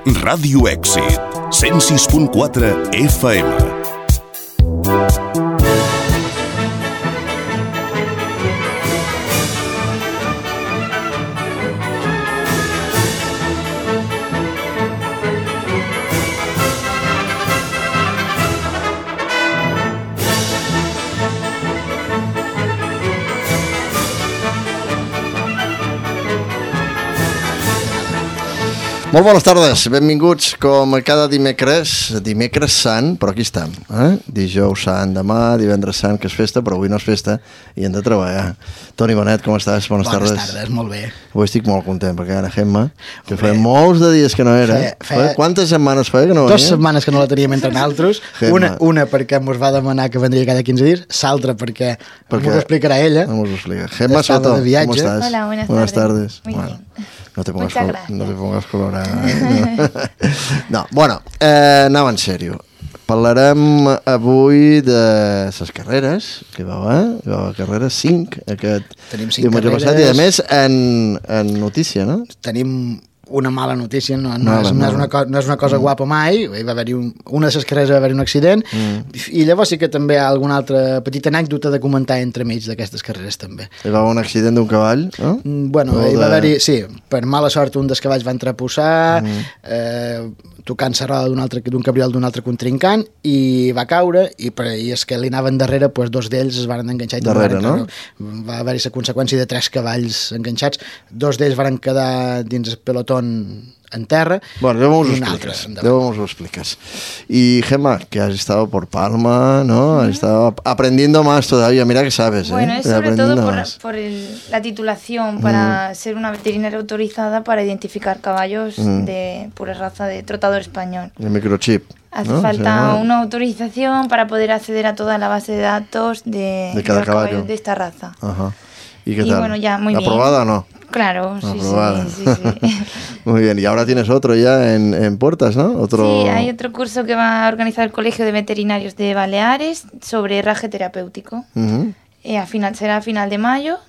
Ràdio Èxit, 106.4 FM. Molt bones tardes, benvinguts com cada dimecres sant, però aquí estem, dijous sant, demà, divendres sant, que és festa, però avui no és festa i hem de treballar. Toni Bonet, com estàs? Bones tardes. Bones tardes, molt bé. Avui estic molt content, perquè ara Gemma, que feia molts de dies que no era. Quantes setmanes feia que no venia? 2 setmanes que no la teníem entre naltros, una perquè ens va demanar que vendria cada 15 dies, l'altra perquè ens ho explicarà ella. No m'ho explica. Gemma Soto, com estàs? Hola, buenas tardes. Muy bien. No te pongas colorada. No, bueno, anava en sèrio. Parlarem avui de les carreres, que hi va haver carreres 5 aquest diumenge passat, i a més en notícia, no? Tenim una mala notícia, no és una cosa guapa mai. Hi va haver-hi una de les carreres va haver-hi un accident, i llavors sí que també hi ha alguna altra petita anècdota de comentar entre mig d'aquestes carreres també. Hi va haver un accident d'un cavall, no? Bueno, hi va haver-hi, sí, per mala sort un dels cavalls va entreposar, tocant la roda d'un cabriol d'un altre contrincant, i va caure, i és que li anaven darrere, doncs 2 d'ells es van enganxar i darrere, no? Va haver-hi la conseqüència de 3 cavalls enganxats, 2 d'ells van quedar dins el pelotó en terra. Bueno, luego nos lo explicas. Y Gemma, que has estado por Palma, ¿no? Has estado aprendiendo más todavía, mira que sabes. Bueno, es sobre todo por la titulación para ser una veterinaria autorizada para identificar caballos de pura raza de trotador español. El microchip. Hace falta una autorización para poder acceder a toda la base de datos de cada caballo de esta raza. Ajá. ¿Y qué tal? Bueno, ya muy bien. ¿Aprobada o no? Claro, sí. Muy bien, y ahora tienes otro ya en puertas, ¿no? Sí, hay otro curso que va a organizar el Colegio de Veterinarios de Baleares sobre herraje terapéutico. Será a final de mayo.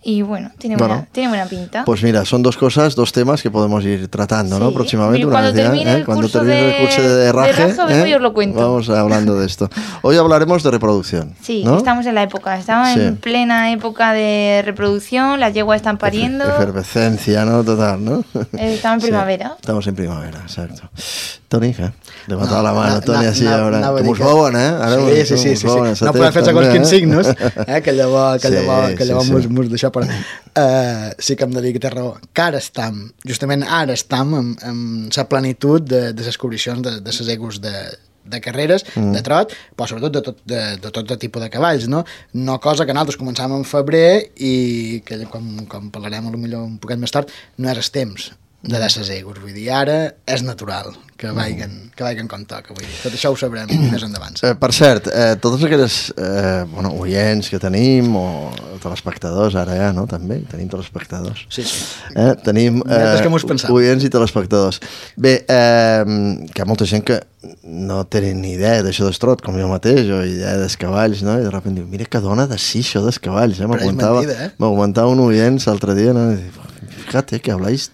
Y bueno, tiene buena pinta. Pues mira, son 2 cosas, 2 temas que podemos ir tratando, ¿no? Próximamente. Cuando termine el curso de herraje, yo os lo cuento. Vamos hablando de esto. Hoy hablaremos de reproducción. Sí, ¿no? Estamos en la época, estamos en plena época de reproducción, las yeguas están pariendo. Efervescencia, ¿no? Total, ¿no? Estamos en primavera. Estamos en primavera, exacto. Toni, levanta la mano, Toni, així, ara. Que mos veuen, Ara sí. No podem fer segons quins signos, que llavors mos deixa per... Sí que em de dir que té raó, que justament ara estem amb la plenitud de les descobricions de les egos de carreres, de trot, però sobretot de tot tipus de cavalls, no? No cosa que nosaltres començàvem en febrer i que, com parlarem potser un poquet més tard, no és el temps de les egos, vull dir, ara és natural que vagin com toca, vull dir, tot això ho sabrem més endavant. Per cert, tots aquells oients que tenim, o telespectadors, ara ja, no? També tenim telespectadors. Sí. Tenim oients i telespectadors. Bé, que hi ha molta gent que no tenen ni idea d'això d'estrot, com jo mateix, o idea dels cavalls, no? I de sobte diu, mira que dona de sí això dels cavalls, m'aguantava un oient l'altre dia, no? I dic, fíjate que habláis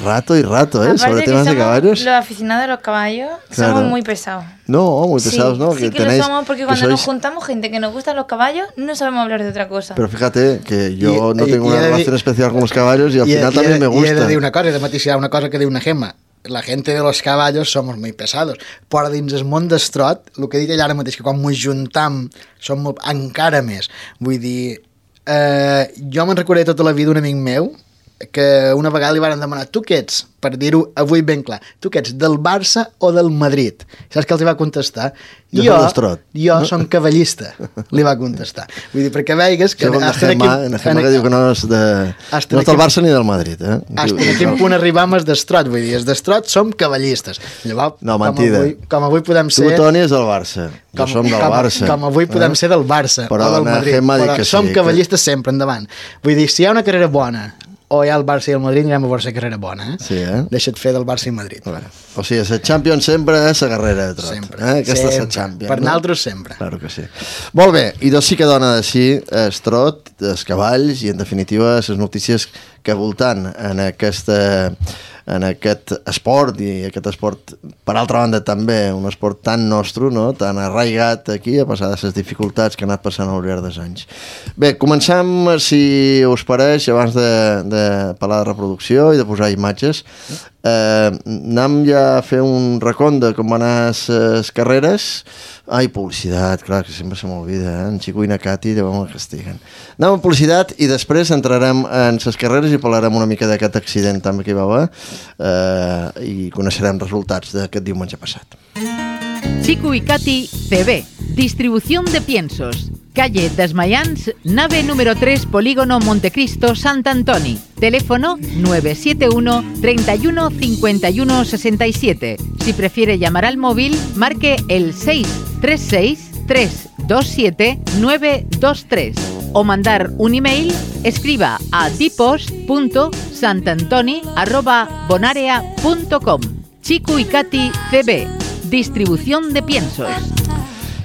rato y rato, sobre temas de caballos. Los aficionados de los caballos somos muy pesados. No, muy pesados, ¿no? Sí que lo somos, porque cuando nos juntamos gente que nos gustan los caballos, no sabemos hablar de otra cosa. Pero fíjate que yo no tengo una relación especial con los caballos y al final también me gusta. Y he de decir una cosa, he de matizar una cosa que diu una Gemma. La gente de los caballos somos muy pesados, però dins el món d'estrot, el que he dit ella ara mateix, que quan ens juntam som encara més. Vull dir, jo me'n recordaré tota la vida un amic meu que una vegada li van demanar, tu què ets? Per dir-ho avui ben clar, tu què ets, del Barça o del Madrid? Saps què els va contestar? Jo som cavallista, li va contestar. Vull dir, perquè veigues que... Segons la Gemma que diu que no és del Barça ni del Madrid. Hasta en quin punt arribam és d'estrot, vull dir, és d'estrot som cavallistes. Llavors, no, mentida. Com avui podem ser... Tu, Toni, és del Barça. Jo som del Barça. Com avui podem ser del Barça o del Madrid. Però som cavallistes sempre, endavant. Vull dir, si hi ha una carrera bona o hi ha el Barça i el Madrid, anirem a veure la carrera bona, Sí, Deixa't fer del Barça i Madrid. O sigui, la Champions sempre és la carrera de trot. Sempre. Aquesta és la Champions. Per nosaltres sempre. Claro que sí. Molt bé, i doncs sí que dona de sí el trot, els cavalls i, en definitiva, les notícies que voltant en aquesta en aquest esport, i aquest esport, per altra banda també, un esport tan nostre, no? Tan arraigat aquí, a passar de les dificultats que ha anat passant al llarg dels anys. Bé, comencem, si us pareix, abans de parlar de reproducció i de posar imatges, anem ja a fer un recompte de com van anar les carreres. Ai, publicitat, clar, que sempre se m'olvida, en Xico i na Cati llavors me castiguen. Anem a publicitat i després entrarem en les carreres i parlarem una mica d'aquest accident també que hi va haver i coneixerem resultats d'aquest diumenge passat. Xico y Cati CB, distribución de piensos. Calle Desmayans, nave número 3, Polígono Montecristo, Sant Antoni. Teléfono 971 31 51 67. Si prefiere llamar al móvil, marque el 636 327 923. O mandar un email, escriba a dipos.santantoni@bonarea.com. Xico y Cati CB, distribución de piensos.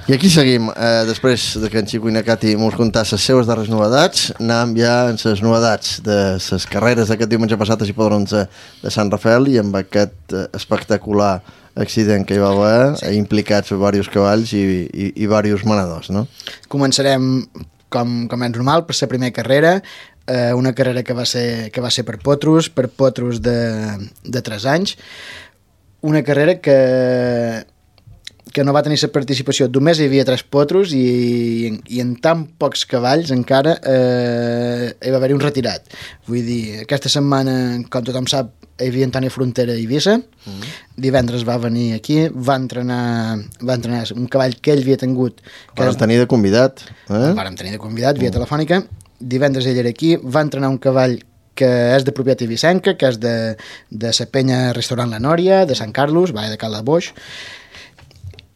I aquí seguim, després que en Xico i na Cati mos contar les seves darreres novedats, anem ja en les novedats de les carreres d'aquest diumenge passat a Hipòdroms de Sant Rafael i amb aquest espectacular accident que hi va haver, implicats diversos cavalls i diversos manadors, no? Començarem, com és normal, per la primera carrera, una carrera que va ser per potros de 3 anys, una carrera que no va tenir la participació, només hi havia 3 potros i en tan pocs cavalls encara hi va haver-hi un retirat. Vull dir, aquesta setmana, com tothom sap, hi havia Antoni Frontera a Eivissa, divendres va venir aquí, va entrenar un cavall que ell havia tingut. Vàrem tenir de convidat. Vàrem tenir de convidat, via telefònica, divendres ell era aquí, va entrenar un cavall que és de propietat eivissenca, que és de la penya Restaurant La Nòria, de Sant Carlos, de Cal de Boix,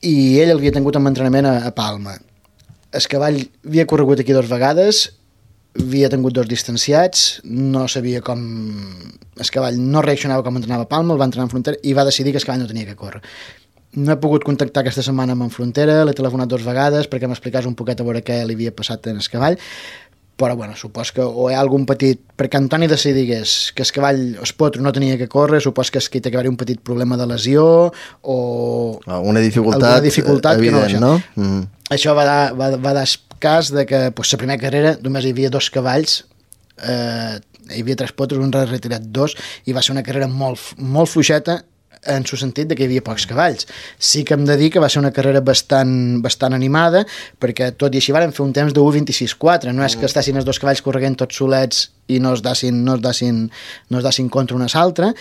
i ell havia tingut un entrenament a Palma. El cavall havia corregut aquí 2 vegades, havia tingut 2 distanciats, no sabia com... El cavall no reaccionava com entrenava a Palma, el va entrenar en Frontera i va decidir que el cavall no tenia que córrer. No he pogut contactar aquesta setmana amb en Frontera, l'he telefonat 2 vegades perquè m'explicàs un poquet a veure què li havia passat en el cavall, però bueno, supos que o hi ha algun petit... Perquè Antoni decidigués que el cavall, el potro, no tenia que córrer, supos que hi ha que haver un petit problema de lesió o... Una dificultat evident, no? Això va dar cas de que la primera carrera només hi havia 2 cavalls, hi havia 3 potros, un retirat 2, i va ser una carrera molt fluixeta en el sentit de que hi havia pocs cavalls. Sí que hem de dir que va ser una carrera bastant animada, perquè tot i així varen fer un temps de 1:26.4, no és que estessin els 2 cavalls corregent tots solets i no es dassin contra una altra.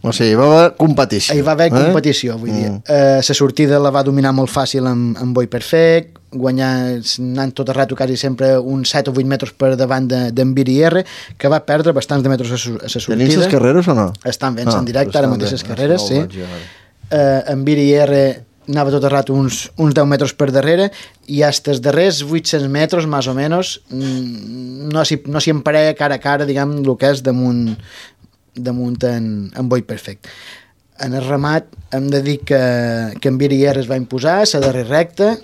O sigui, hi va haver competició. Hi va haver competició, vull dir. La sortida la va dominar molt fàcil amb Boi Perfect, anant tot el rato quasi sempre uns 7 o 8 metres per davant d'en Viri R, que va perdre bastants de metres a la sortida. Tenim les carreres o no? Estan ben en directe, ara mateix les carreres, sí. En Viri R anava tot el rato uns 10 metres per darrere i fins els darrers 800 metres, més o menys, no s'hi emparella cara a cara, diguem, el que és damunt en Boi Perfect. En el remat hem de dir que en Viri R es va imposar a la darrera recta,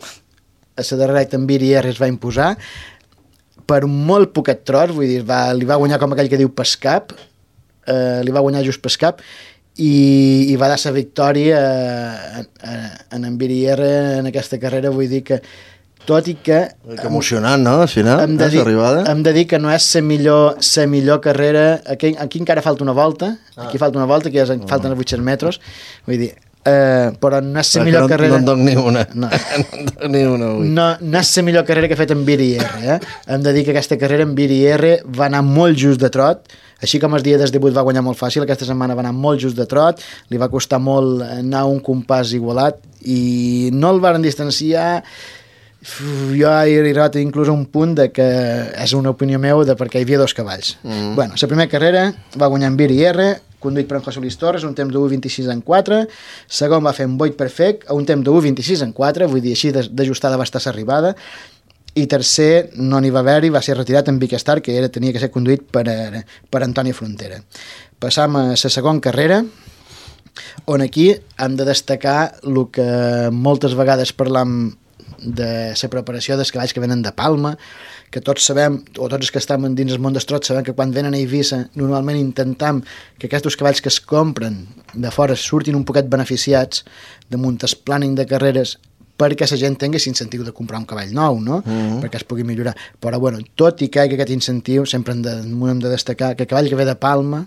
en Viri R es va imposar per un molt poquet tros, vull dir, li va guanyar com aquell que diu pescap, li va guanyar just pescap i va dar la victòria en Viri R en aquesta carrera, vull dir que tot i que emocionant, no? Al final, hem de dir que no és la millor carrera. Aquí encara falta una volta, aquí falta una volta, que falten els 800 metres, vull dir, però no és la millor carrera. No en doc ni una. No és la millor carrera que ha fet en Viri R. Hem de dir que aquesta carrera en Viri R va anar molt just de trot, així com el dia del debut va guanyar molt fàcil, aquesta setmana va anar molt just de trot, li va costar molt anar a un compàs igualat i no el varen distanciar. Jo he arribat inclús a un punt de que és una opinió meva de perquè hi havia 2 cavalls. Bueno, la primera carrera va guanyar en Viri R, conduït per en José Luis Torres, un temps de 1:26.4, segon va fer en Boi Perfect, a un temps de 1:26.4, vull dir, així d'ajustada va estar l'arribada, i tercer no n'hi va haver-hi, va ser retirat en Big Star, que tenia que ser conduït per Antoni Frontera. Passam a la segona carrera, on aquí hem de destacar el que moltes vegades parlam de la preparació dels cavalls que venen de Palma, que tots sabem, o tots els que estem dins el món dels trots, sabem que quan venen a Eivissa normalment intentem que aquests cavalls que es compren de fora surtin un poquet beneficiats damunt el planning de carreres perquè la gent tingui l'incentiu de comprar un cavall nou, no? Perquè es pugui millorar. Però, bueno, tot i que hi hagi aquest incentiu, sempre hem de destacar que el cavall que ve de Palma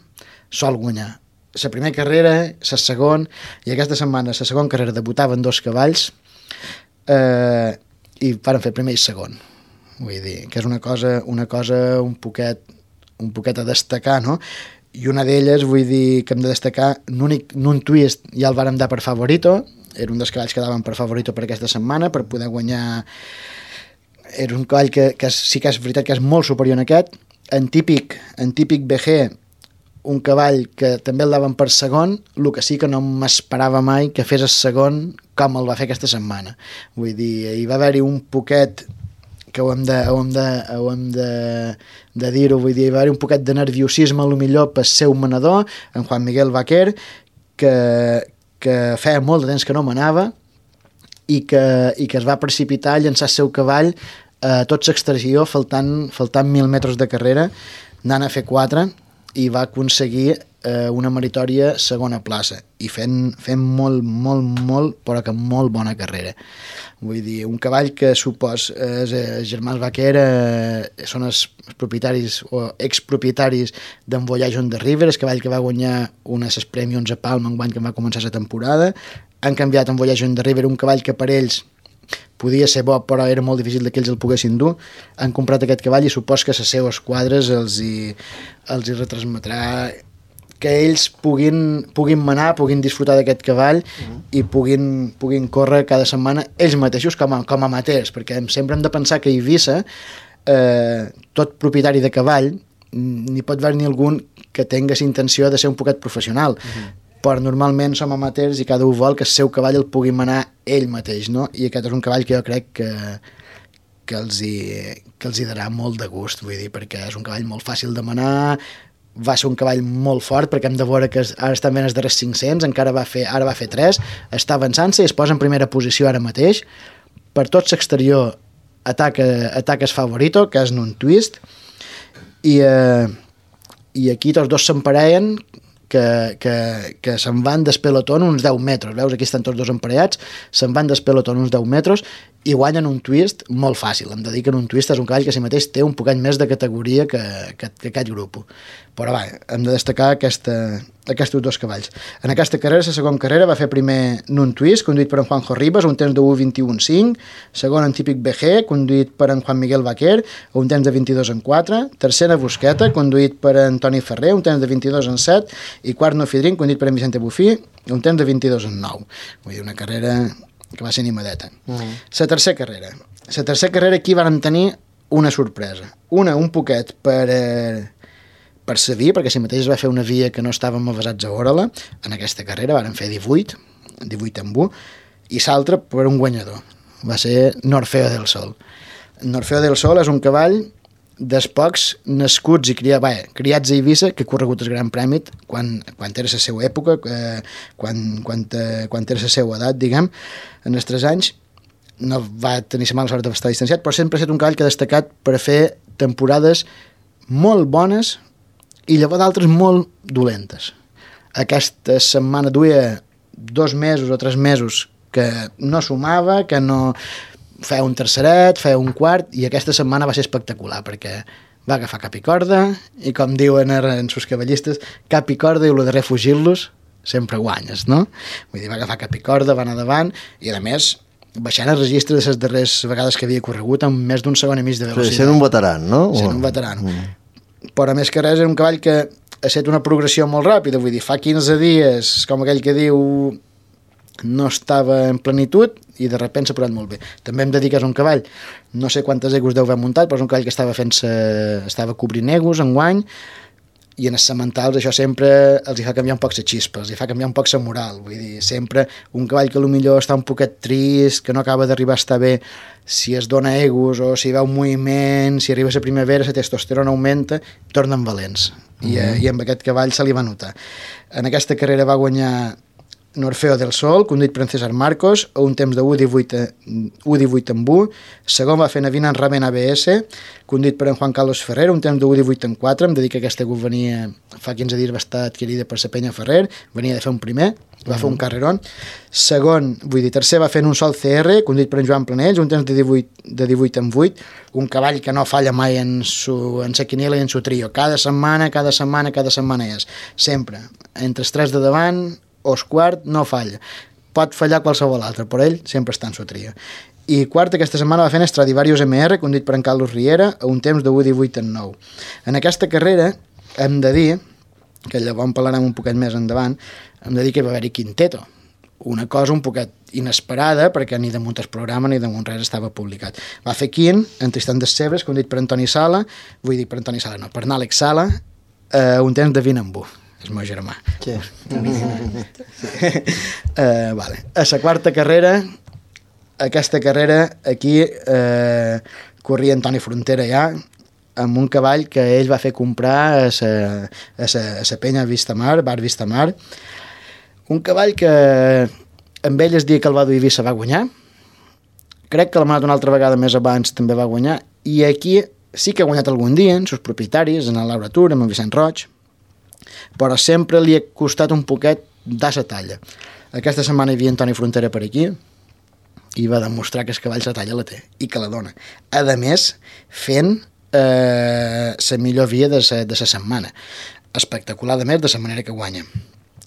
sol guanyar. La primera carrera, la segona, i aquesta setmana, la segona carrera, debutaven 2 cavalls i van fer primer i segon. Vull dir, que és una cosa un poquet a destacar, no? I una d'elles, vull dir, que hem de destacar, un twist ja el vàrem dar per Favorito, era un dels cavalls que daven per Favorito per aquesta setmana, per poder guanyar. Era un cavall que sí que és veritat que és molt superior a aquest. En típic BG, un cavall que també el daven per segon, el que sí que no m'esperava mai que fes el segon com el va fer aquesta setmana. Vull dir, hi va haver-hi un poquet que ho hem de dir-ho, vull dir, hi va haver un poquet de nerviosisme, millor pel seu manador, en Juan Miguel Vaquer, que feia molt de temps que no manava i que es va precipitar a llançar el seu cavall a tot l'exterior, faltant 1.000 metres de carrera, anant a fer 4, i va aconseguir una meritòria segona plaça i fent molt, però que molt bona carrera. Vull dir, un cavall que supos els germans Vaquer són els propietaris o expropietaris d'en Voyage on the River, el cavall que va guanyar unes Premiums a Palma enguany que va començar la temporada. Han canviat en Voyage on the River, un cavall que per ells podia ser bo, però era molt difícil que ells el poguessin dur. Han comprat aquest cavall i supos que a les seues quadres els hi retransmetrà que ells puguin manar, puguin disfrutar d'aquest cavall i puguin córrer cada setmana ells mateixos com a amateurs, perquè sempre hem de pensar que a Eivissa tot propietari de cavall n'hi pot haver ni algun que tingués intenció de ser un poquet professional, però normalment som amateurs i cada un vol que el seu cavall el pugui manar ell mateix, no? I aquest és un cavall que jo crec que els hi darà molt de gust, vull dir, perquè és un cavall molt fàcil de manar, va ser un cavall molt fort, perquè hem de veure que ara està ben els darrers 500, ara va fer 3, està avançant-se i es posa en primera posició ara mateix. Per tot l'exterior ataca Favorito, que és en un twist, i aquí tots dos s'emparellen, que se'n van del pelotó uns 10 metres, veus, aquí estan tots dos emparellats, se'n van del pelotó uns 10 metres i guanyen un twist molt fàcil. Hem de dir que en un twist és un cavall que si mateix té un poquet més de categoria que aquest grup. Però va, hem de destacar aquests dos cavalls. En aquesta carrera, la segona carrera, va fer primer en un twist, conduït per en Juanjo Ribas, un temps de 1:21.5, segon en típic BG, conduït per en Juan Miguel Vaquer, un temps de 22.4, tercera Busqueta, conduït per en Toni Ferrer, un temps de 22.7, i quart Nofidrin, conduït per en Vicente Bufí, un temps de 22.9. Vull dir, una carrera que va ser animadeta. La tercera carrera aquí van tenir una sorpresa. Un poquet per sa via, perquè si mateix es va fer una via que no estàvem avasats a veure-la. En aquesta carrera van fer 18 amb 1, i l'altre per un guanyador. Va ser Norfeo del Sol. Norfeo del Sol és un cavall dels pocs nascuts i criats a Eivissa que ha corregut el Gran Premi quan era la seva època, quan era la seva edat, diguem, en els 3 anys. No va tenir la mala sort d'estar distanciat, però sempre ha estat un cavall que ha destacat per fer temporades molt bones i llavors d'altres molt dolentes. Aquesta setmana duia 2 mesos o 3 mesos que no sumava, que no feia un terceret, feia un quart, i aquesta setmana va ser espectacular perquè va agafar cap i corda i, com diuen en sus cavallistes, cap i corda i el de refugir-los sempre guanyes, no? Vull dir, va agafar cap i corda, va anar davant i, a més, baixant el registre de les darreres vegades que havia corregut amb més d'un segon i mig de velocitat. Sent un veteran, no? Sent un veteran. Però, més que res, era un cavall que ha estat una progressió molt ràpida. Vull dir, fa 15 dies, com aquell que diu, no estava en plenitud i de sobte s'ha posat molt bé. També hem de dir que és un cavall, no sé quantes egos deu haver muntat, però és un cavall que estava cobrint egos enguany, i en els sementals això sempre els hi fa canviar un poc la xispa, els hi fa canviar un poc la moral. Vull dir, sempre un cavall que potser està un poquet trist, que no acaba d'arribar a estar bé, si es dona egos o si veu moviment, si arriba la primavera, la testosterona augmenta, tornen valents. I amb aquest cavall se li va notar. En aquesta carrera va guanyar Orfeo del Sol, conduït per en César Marcos, a un temps de 1:18 amb 1. Segon va fer Navina en Raven ABS, conduït per en Juan Carlos Ferrer, un temps de 1:18 amb 4. Em dedica que aquesta CUP venia, fa 15 dies va estar adquirida per la Penya Ferrer, venia de fer un primer, va fer un carrerón. Segon, tercer va fer un Sol CR, conduït per en Joan Planells, un temps de 18 amb 8, un cavall que no falla mai en sa quiniela i en su trio. Cada setmana és. Sempre. Entre els 3 de davant o els quart no falla. Pot fallar qualsevol altre, però ell sempre està en su trio. I quart, aquesta setmana va fer en Stradivarius MR, conduït per en Carlos Riera, a un temps de 1:18 amb 9. En aquesta carrera, hem de dir, que llavors en parlarem un poquet més endavant, hem de dir que va haver-hi quinteto. Una cosa un poquet inesperada, perquè ni damunt el programa ni damunt res estava publicat. Va fer quint, en Tristan des Cebres, conduït per Antoni Sala, per Nàlex Sala, un temps de 20 amb 1. És el meu germà. Sí. Vale. A la quarta carrera, aquesta carrera, aquí corria Antoni Frontera ja, amb un cavall que ell va fer comprar a la penya Vistamar, Bar Vistamar. Un cavall que amb ell el dia que el va dur a Eivissa va guanyar. Crec que l'ha manat una altra vegada més abans també va guanyar. I aquí sí que ha guanyat algun dia, en els propietaris, en el Laura Tour, amb en Vicent Roig, però sempre li ha costat un poquet de la talla. Aquesta setmana hi havia Antoni Frontera per aquí i va demostrar que el cavall la talla la té i que la dona. A més, fent la millor via de la setmana. Espectacular, a més, de la manera que guanya.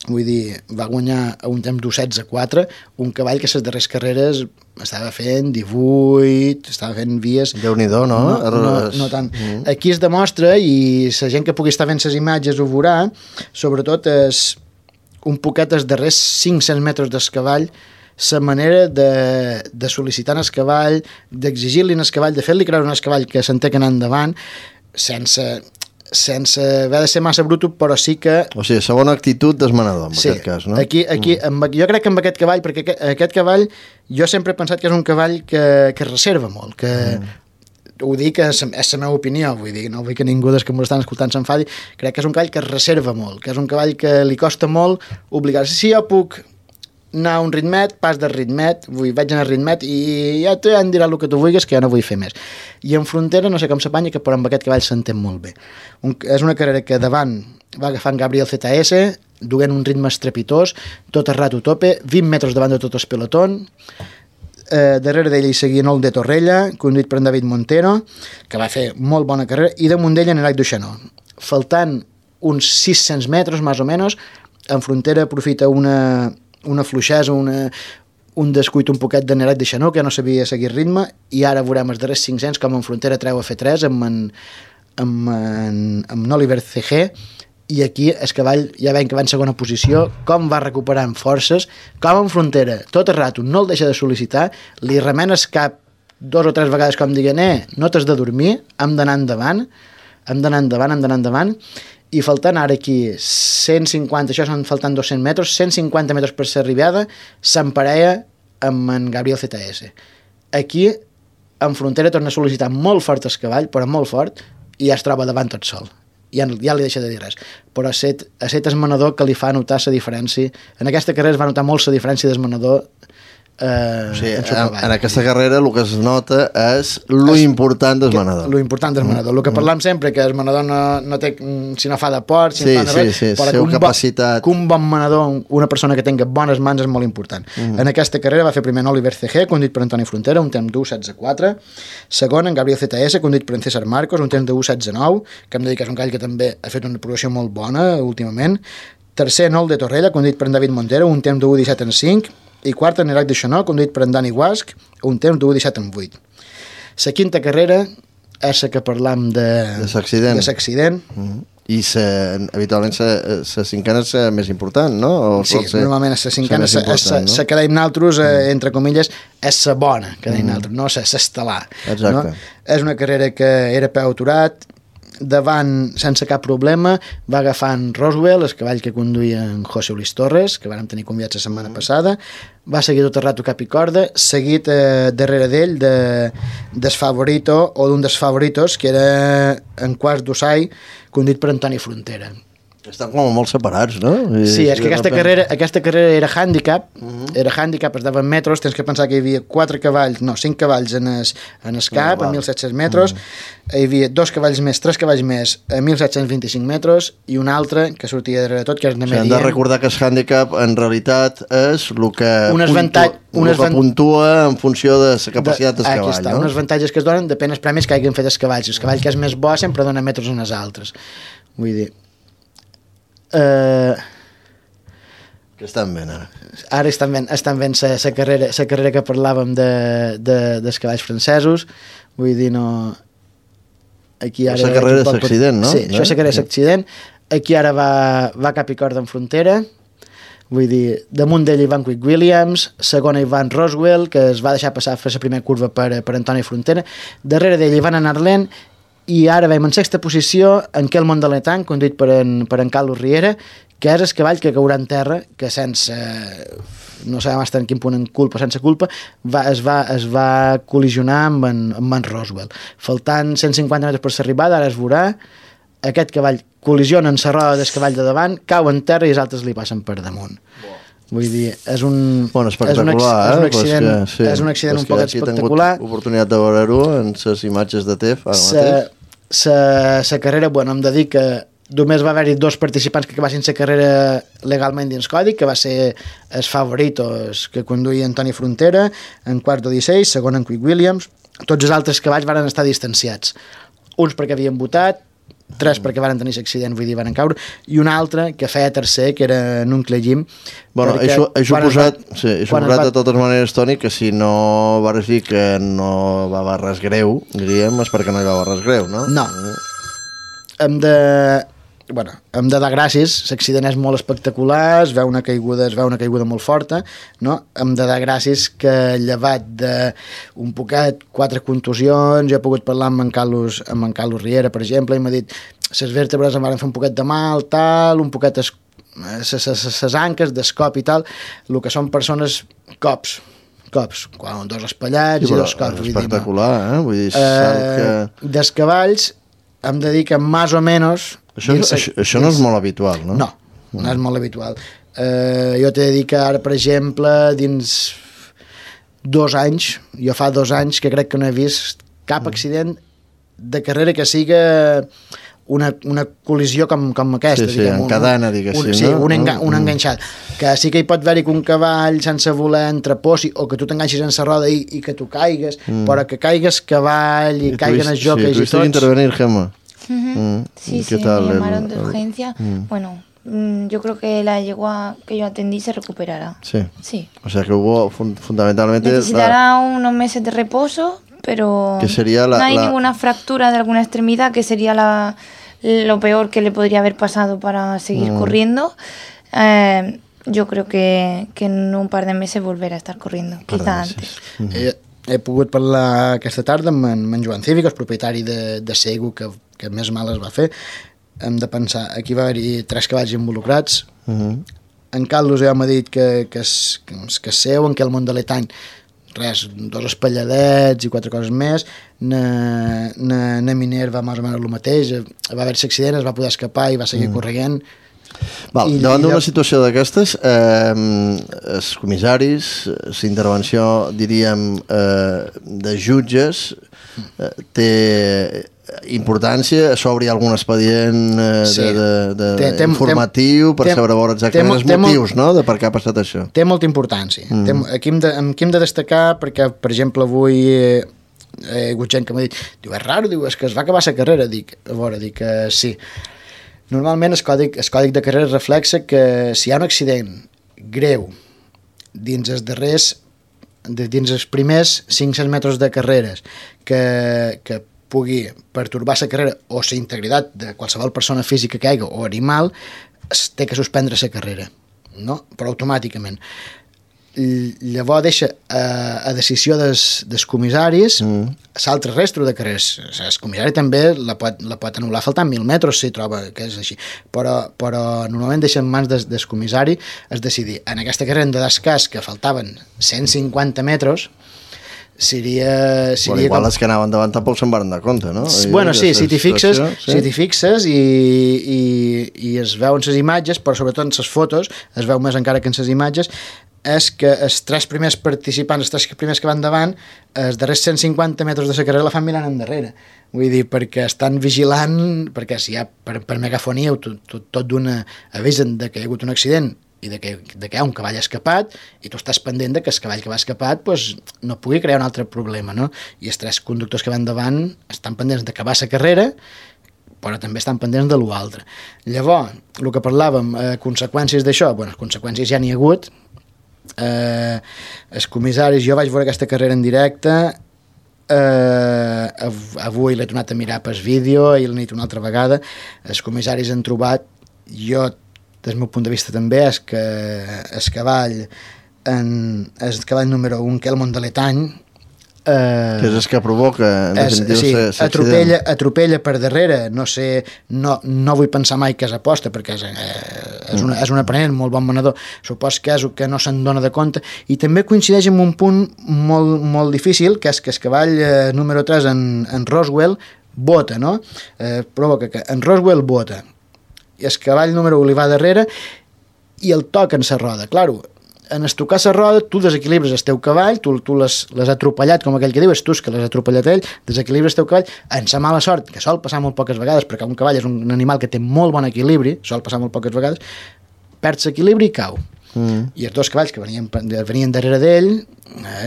Vull dir, va guanyar a un temps d'1:16.4, un cavall que les darreres carreres estava fent 18, estava fent vies... Déu-n'hi-do, no? No tant. Aquí es demostra, i la gent que pugui estar fent les imatges ho veurà, sobretot un poquet els darrers 500 metres del cavall, la manera de sol·licitar el cavall, d'exigir-li al cavall, de fer-li creure al cavall que s'entén que anar endavant, sense haver de ser massa bruto, però sí que... O sigui, segona actitud desmanador, en aquest cas, no? Aquí, jo crec que amb aquest cavall, perquè aquest cavall, jo sempre he pensat que és un cavall que es reserva molt, que ho dic, és la meva opinió, vull dir, no vull que ningú dels que m'ho estan escoltant s'enfadi, crec que és un cavall que es reserva molt, que és un cavall que li costa molt obligar-se. Si jo puc anar a un ritmet, pas de ritmet, vaig anar a ritmet i ja em dirà el que tu vulguis, que jo no vull fer més. I en Frontera no sé com s'apanya, que però amb aquest cavall s'entén molt bé. És una carrera que davant va agafar en Gabriel ZS, duent un ritme estrepitós, tot el rato tope, 20 metres davant de tot el pelotón, darrere d'ell hi seguia Nol de Torrella, conduït per en David Montero, que va fer molt bona carrera, i damunt d'ell en Erac Duixanó. Faltant uns 600 metres, més o menys, en Frontera aprofita una fluixesa, un descuit un poquet de Nerac de Xanó, que ja no sabia seguir ritme, i ara veurem els darrers 500 com en Frontera treu a fer 3 amb Oliver CG, i aquí el cavall ja veiem que va en segona posició, com va recuperant forces, com en Frontera tot el rato no el deixa de sol·licitar, li remenes cap 2 o 3 vegades com dient, no t'has de dormir, hem d'anar endavant, i faltant ara aquí 150, això són faltant 200 metres, 150 metres per ser arribada, s'emparella amb en Gabriel ZS. Aquí, en Frontera, torna a sol·licitar molt fort el cavall, però molt fort, i ja es troba davant tot sol. Ja li deixa de dir res. Però ha set el manador que li fa notar la diferència. En aquesta carrera es va notar molt la diferència del manador en aquesta carrera el que es nota és lo important del manador. Lo important del manador. El que parlam sempre, que el manador no té, si no fa de port, si no fa de res, però que un bon manador, una persona que tingui bones mans és molt important. En aquesta carrera va fer primer en Oliver CG, conduït per Antoni Frontera, un temps d'1:16.4. Segon, en Gabriel ZS, conduït per en César Marcos, un temps de 1:16.9, que hem de dir que és un call que també ha fet una progressió molt bona últimament. Tercer, Nol de Torrella, conduït per en David Montero, un temps de 1:17.5. I quart, en Erac de Xanó, conduït per en Dani Guasc, un temps d'1:17.8. La quinta carrera és la que parlam de l'accident. I habitualment la cinquena és la més important, no? Sí, normalment la cinquena és la que deim nosaltres, entre comilles, és la bona, que deim nosaltres, no l'estel·lar. Exacte. És una carrera que era peu aturat, davant, sense cap problema, va agafar en Roswell, el cavall que conduïa en José Luis Torres, que vàrem tenir convidats la setmana passada, va seguir tot el rato cap i corda, seguit darrere d'ell del favorito, o d'un dels favoritos, que era en quarts d'Ossai, conduït per Antoni Frontera. Estan com molt separats, no? Sí, és que aquesta carrera era handicap, es daven metros, tens que pensar que hi havia 5 cavalls en el cap, a 1.700 metres, hi havia 2 cavalls més, 3 cavalls més a 1.725 metres i un altre que sortia darrere tot, que és de median. Hem de recordar que el handicap en realitat és el que puntua en funció de la capacitat del cavall. Aquí està, unes avantatges que es donen depèn dels premis que hagin fet els cavalls. El cavall que és més bo sempre dona metros en els altres. Vull dir... Què estan veient ara? Ara estan veient la carrera que parlàvem dels cavalls francesos. Vull dir, no... Aquí ara la carrera és accident, no? Sí, això és la carrera és accident. Aquí ara va cap i corda en frontera. Vull dir, damunt d'ell Ivan Quick Williams, segona Ivan Roswell, que es va deixar passar a fer la primera curva per Antoni Frontera. Darrere d'ell Ivan Anarlen, i ara veiem en sexta posició en Quel Mondaletán, conduït per en Carlos Riera, que és el cavall que caurà en terra, que sense... no sabem fins en quin punt sense culpa, es va col·lisionar amb en Roswell. Faltant 150 metres per l'arribada, ara es veurà, aquest cavall col·lisiona en la roda del cavall de davant, cau en terra i els altres li passen per damunt. Vull dir, és un accident un poc espectacular. He tingut oportunitat de veure-ho en les imatges de TEF ara mateix. La carrera, hem de dir que només va haver-hi 2 participants que acabassin la carrera legalment dins codi, que va ser els favoritos que conduïa Antoni Frontera, en quart de 16, segon en Quick Williams. Tots els altres cavalls van estar distanciats. Uns perquè havien votat, 3 perquè van tenir l'accident, vull dir, van caure, i un altre que feia tercer, que era Nuncle Jim. He suposat de totes maneres, Toni, que si no vas dir que no va haver res greu, diríem, és perquè no hi va haver res greu, no? No. Hem de dar gràcies, l'accident és molt espectacular, es veu una caiguda molt forta, no? Hem de dar gràcies que llevat d'un poquet 4 contusions, jo he pogut parlar amb en Carlos Riera, per exemple, i m'ha dit les vèrtebres em van fer un poquet de mal, tal, un poquet les anques, d'escop i tal, el que són persones cops, quan 2 espallats i 2 cops. Espectacular, vull dir, dels cavalls hem de dir que més o menys... Això no és molt habitual, no? No és molt habitual. Jo t'he de dir que ara, per exemple, dins 2 anys, jo fa 2 anys que crec que no he vist cap accident de carrera que siga una col·lisió com aquesta. Sí, en cadena, diguéssim. Sí, un enganxat. Que sí que hi pot haver-hi que un cavall sense voler entreposi, o que tu t'enganxis en la roda i que tu caigues, però que caigues cavall i caiguen els joques i tots... Tuviste que intervenir, Gemma. Sí, me llamaron de urgencia. Bueno, yo creo que la yegua que yo atendí se recuperará. Sí. O sea que hubo fundamentalmente... Necesitará unos meses de reposo, pero no hay ninguna fractura de alguna extremidad, que sería lo peor que le podría haber pasado para seguir corriendo. Yo creo que en un par de meses volverá a estar corriendo, quizá antes. He pogut parlar aquesta tarda amb en Joan Cívic, el propietari de Segu, que més mal es va fer. Hem de pensar, aquí va haver-hi 3 cavalls involucrats. En Carlos ja m'ha dit que seu, en Quel Mondaletán, res, 2 espalladets i 4 coses més. Na Miner va més o menys el mateix, va haver-hi l'accident, es va poder escapar i va seguir corrent. Davant d'una situació d'aquestes, els comissaris, la intervenció, diríem, de jutges, té importància, s'obri algun expedient informatiu per saber exactament els motius, no?, de per què ha passat això. Té molta importància. Aquí hem de destacar, perquè, per exemple, avui he hagut gent que m'ha dit, diu, és raro, diu, és que es va acabar la carrera. Dic sí. Normalment el còdic de carrera reflexa que si hi ha un accident greu dins els primers 500 metres de carreres que pugui pertorbar la carrera o la integritat de qualsevol persona física que hi hagi o animal, té que suspendre la carrera, no? Però automàticament. Llavors deixa a decisió dels comissaris l'altre resto de carreres. El comissari també la pot anul·lar faltant 1.000 metres si troba que és així, però normalment deixa en mans del comissari es decidir. En aquesta carrera hem de dar cas que faltaven 150 metres, seria bueno, igual les que anaven davant tampoc se'n van dar compte, no? Bueno, sí, si t'hi fixes i es veuen les imatges, però sobretot en les fotos es veu més encara que en les imatges, és que els tres primers participants, els tres primers que van davant, els darrers 150 metres de la carrera la fan mirant endarrere. Vull dir, perquè estan vigilant, perquè si hi ha per megafonia tot d'una avisen de que hi ha hagut un accident i de que hi ha un cavall escapat i tu estàs pendent de que el cavall que va escapat pues, no pugui crear un altre problema, no? I els tres conductors que van davant estan pendents d'acabar la carrera, però també estan pendents de l'altre. Llavors, el que parlàvem, conseqüències d'això, bueno, conseqüències ja n'hi ha hagut. Els comissaris, jo vaig veure aquesta carrera en directe, avui l'he tornat a mirar pel vídeo, ahir l'he dit una altra vegada, els comissaris han trobat, jo des del meu punt de vista també, és que el cavall número 1, que és el Mont de l'Etany, que és el que provoca sí, atropella per darrere, no sé, no vull pensar mai que és aposta perquè és un aprenent, molt bon manador, supos que és el que no se'n dona de compte, i també coincideix amb un punt molt, molt difícil, que és que el cavall número 3 en Roswell bota, no? Provoca que en Roswell bota i el cavall número 1 li va darrere i el toca en la roda. Claro, en estocar la roda tu desequilibres el teu cavall, tu l'has atropellat, com aquell que diu, és tu que l'has atropellat ell, desequilibres el teu cavall, en sa mala sort, que sol passar molt poques vegades, perquè un cavall és un animal que té molt bon equilibri, sol passar molt poques vegades, perd l'equilibri i cau. I els dos cavalls que venien darrere d'ell,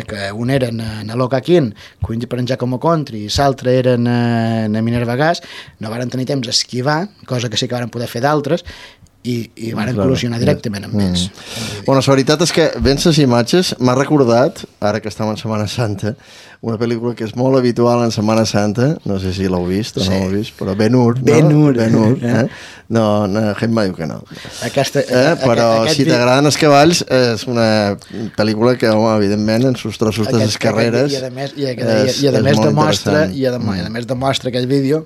que un era en Locaquín, per en Giacomo Contri, i l'altre era en Minerva Gas, no varen tenir temps d'esquivar, cosa que sí que varen poder fer d'altres, i van col·lisionar directament amb ells. Bueno, la veritat és que veient les imatges m'ha recordat, ara que estem en Setmana Santa, una pel·lícula que és molt habitual en Setmana Santa, no sé si l'heu vist o no l'heu vist, però Ben-Hur, no, Gemma diu que no. Però si t'agraden els cavalls, és una pel·lícula que, home, evidentment, en sus trossos de les carreres i a més demostra aquell vídeo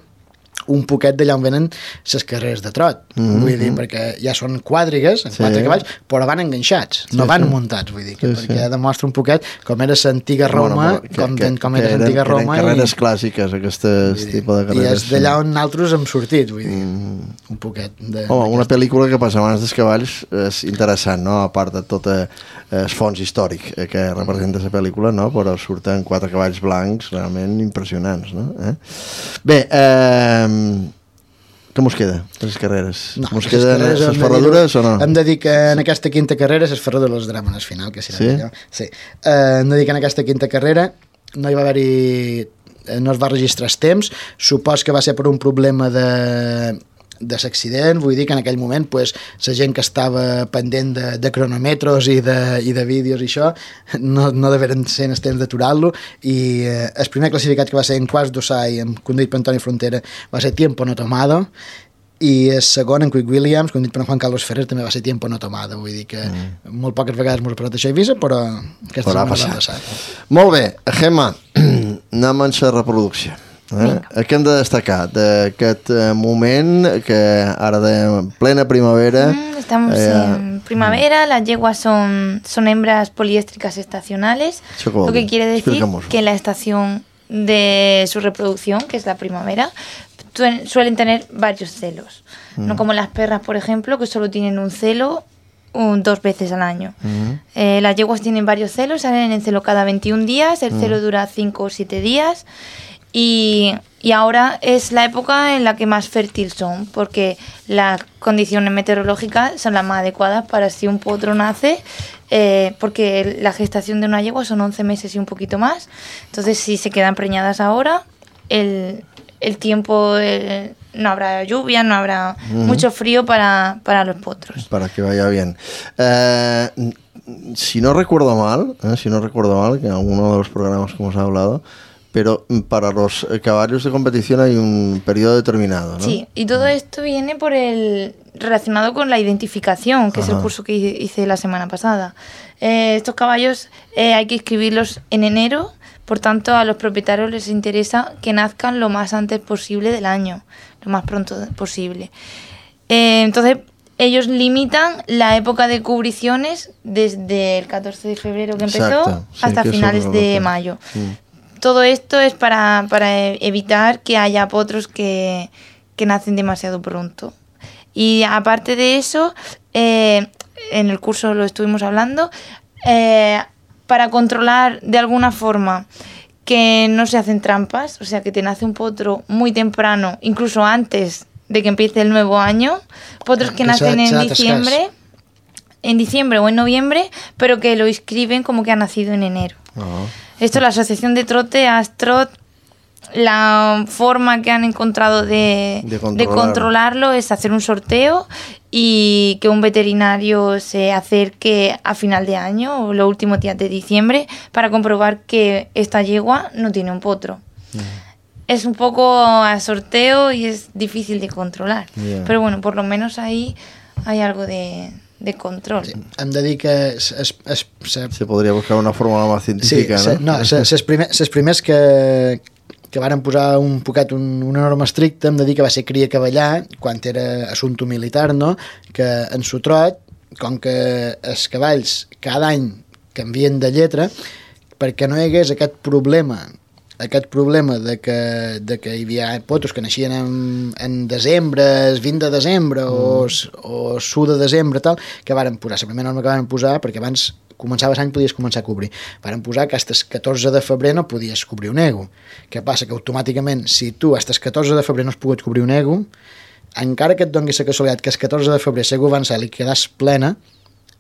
un poquet d'allà on venen les carreres de trot, vull dir, perquè ja són quadrigues, en 4 cavalls, però van enganxats, no van muntats, vull dir, perquè demostra un poquet com era l'antiga Roma, com era l'antiga Roma. Eren carreres clàssiques, aquestes tipus de carreres. I és d'allà on nosaltres hem sortit, vull dir, un poquet. Home, una pel·lícula que passa abans dels cavalls és interessant, no?, a part de tot el fons històric que representa la pel·lícula, no?, però surten 4 cavalls blancs realment impressionants, no? Bé, com us queda, les carreres? No, us queden les ferradures o no? Hem de dir que en aquesta quinta carrera les ferradures les dramen al final, que sí? Sí. Hem de dir que en aquesta quinta carrera no hi va haver-hi, no es va registrar els temps, supos que va ser per un problema de l'accident, vull dir que en aquell moment la gent que estava pendent de cronòmetres i de vídeos i això no deveren ser en el temps d'aturar-lo, i el primer classificat que va ser en Quarts d'Ossai, conduït per Antoni Frontera, va ser Tiempo No Tomado, i el segon, en Quick Williams, conduït per Juan Carlos Ferrer, també va ser Tiempo No Tomado, vull dir que molt poques vegades m'ho ha passat això a Eivissa, però aquesta setmana va passar. Molt bé, Gemma, anem a la reproducció. Què hem de destacar d'aquest moment que ara de plena primavera? Estamos en primavera, las yeguas son hembras poliéstricas estacionales, lo que quiere decir que en la estación de su reproducción, que es la primavera, suelen tener varios celos, no como las perras, por ejemplo, que solo tienen un celo 2 veces al año. Las yeguas tienen varios celos, salen en celo cada 21 días, el celo dura 5 o 7 días, y ahora es la época en la que más fértil son, porque las condiciones meteorológicas son las más adecuadas para si un potro nace, porque la gestación de una yegua son 11 meses y un poquito más. Entonces, si se quedan preñadas ahora, el tiempo, no habrá lluvia, no habrá mucho frío para los potros. Para que vaya bien. Si no recuerdo mal, que en alguno de los programas que hemos hablado, pero para los caballos de competición hay un periodo determinado, ¿no? Sí, y todo esto viene relacionado con la identificación, que es el curso que hice la semana pasada. Estos caballos hay que inscribirlos en enero, por tanto a los propietarios les interesa que nazcan lo más antes posible del año, lo más pronto posible. Entonces, ellos limitan la época de cubriciones desde el 14 de febrero que empezó hasta finales de mayo. Todo esto es para evitar que haya potros que nacen demasiado pronto. Y aparte de eso, en el curso lo estuvimos hablando, para controlar de alguna forma que no se hacen trampas, o sea, que te nace un potro muy temprano, incluso antes de que empiece el nuevo año, potros que nacen en diciembre o en noviembre, pero que lo inscriben como que ha nacido en enero. Esto la Asociación de Trote, ASTROT, la forma que han encontrado de controlarlo es hacer un sorteo y que un veterinario se acerque a final de año o los últimos días de diciembre para comprobar que esta yegua no tiene un potro. Es un poco a sorteo y es difícil de controlar. Pero bueno, por lo menos ahí hay algo de control. Sí. Hem de dir que... Se podria buscar una fórmula més científica, no? Les primers que varen posar un poquet una norma estricta, hem de dir que va ser Cria Cavallà, quan era assumpte militar, no? Que en su trot, com que els cavalls cada any canvien de lletra, perquè no hi hagués aquest problema de que hi havia potros que naixien en desembre, el 20 de desembre o s'1 de desembre, tal, que varen posar, la primera norma que varen posar, perquè abans començava l'any podies començar a cobrir. Varen posar que fins el 14 de febrer no podies cobrir un ego. Què passa? Que automàticament, si tu fins el 14 de febrer no has pogut cobrir un ego, encara que et doni la casualitat que el 14 de febrer l'ego avançat i quedàs plena,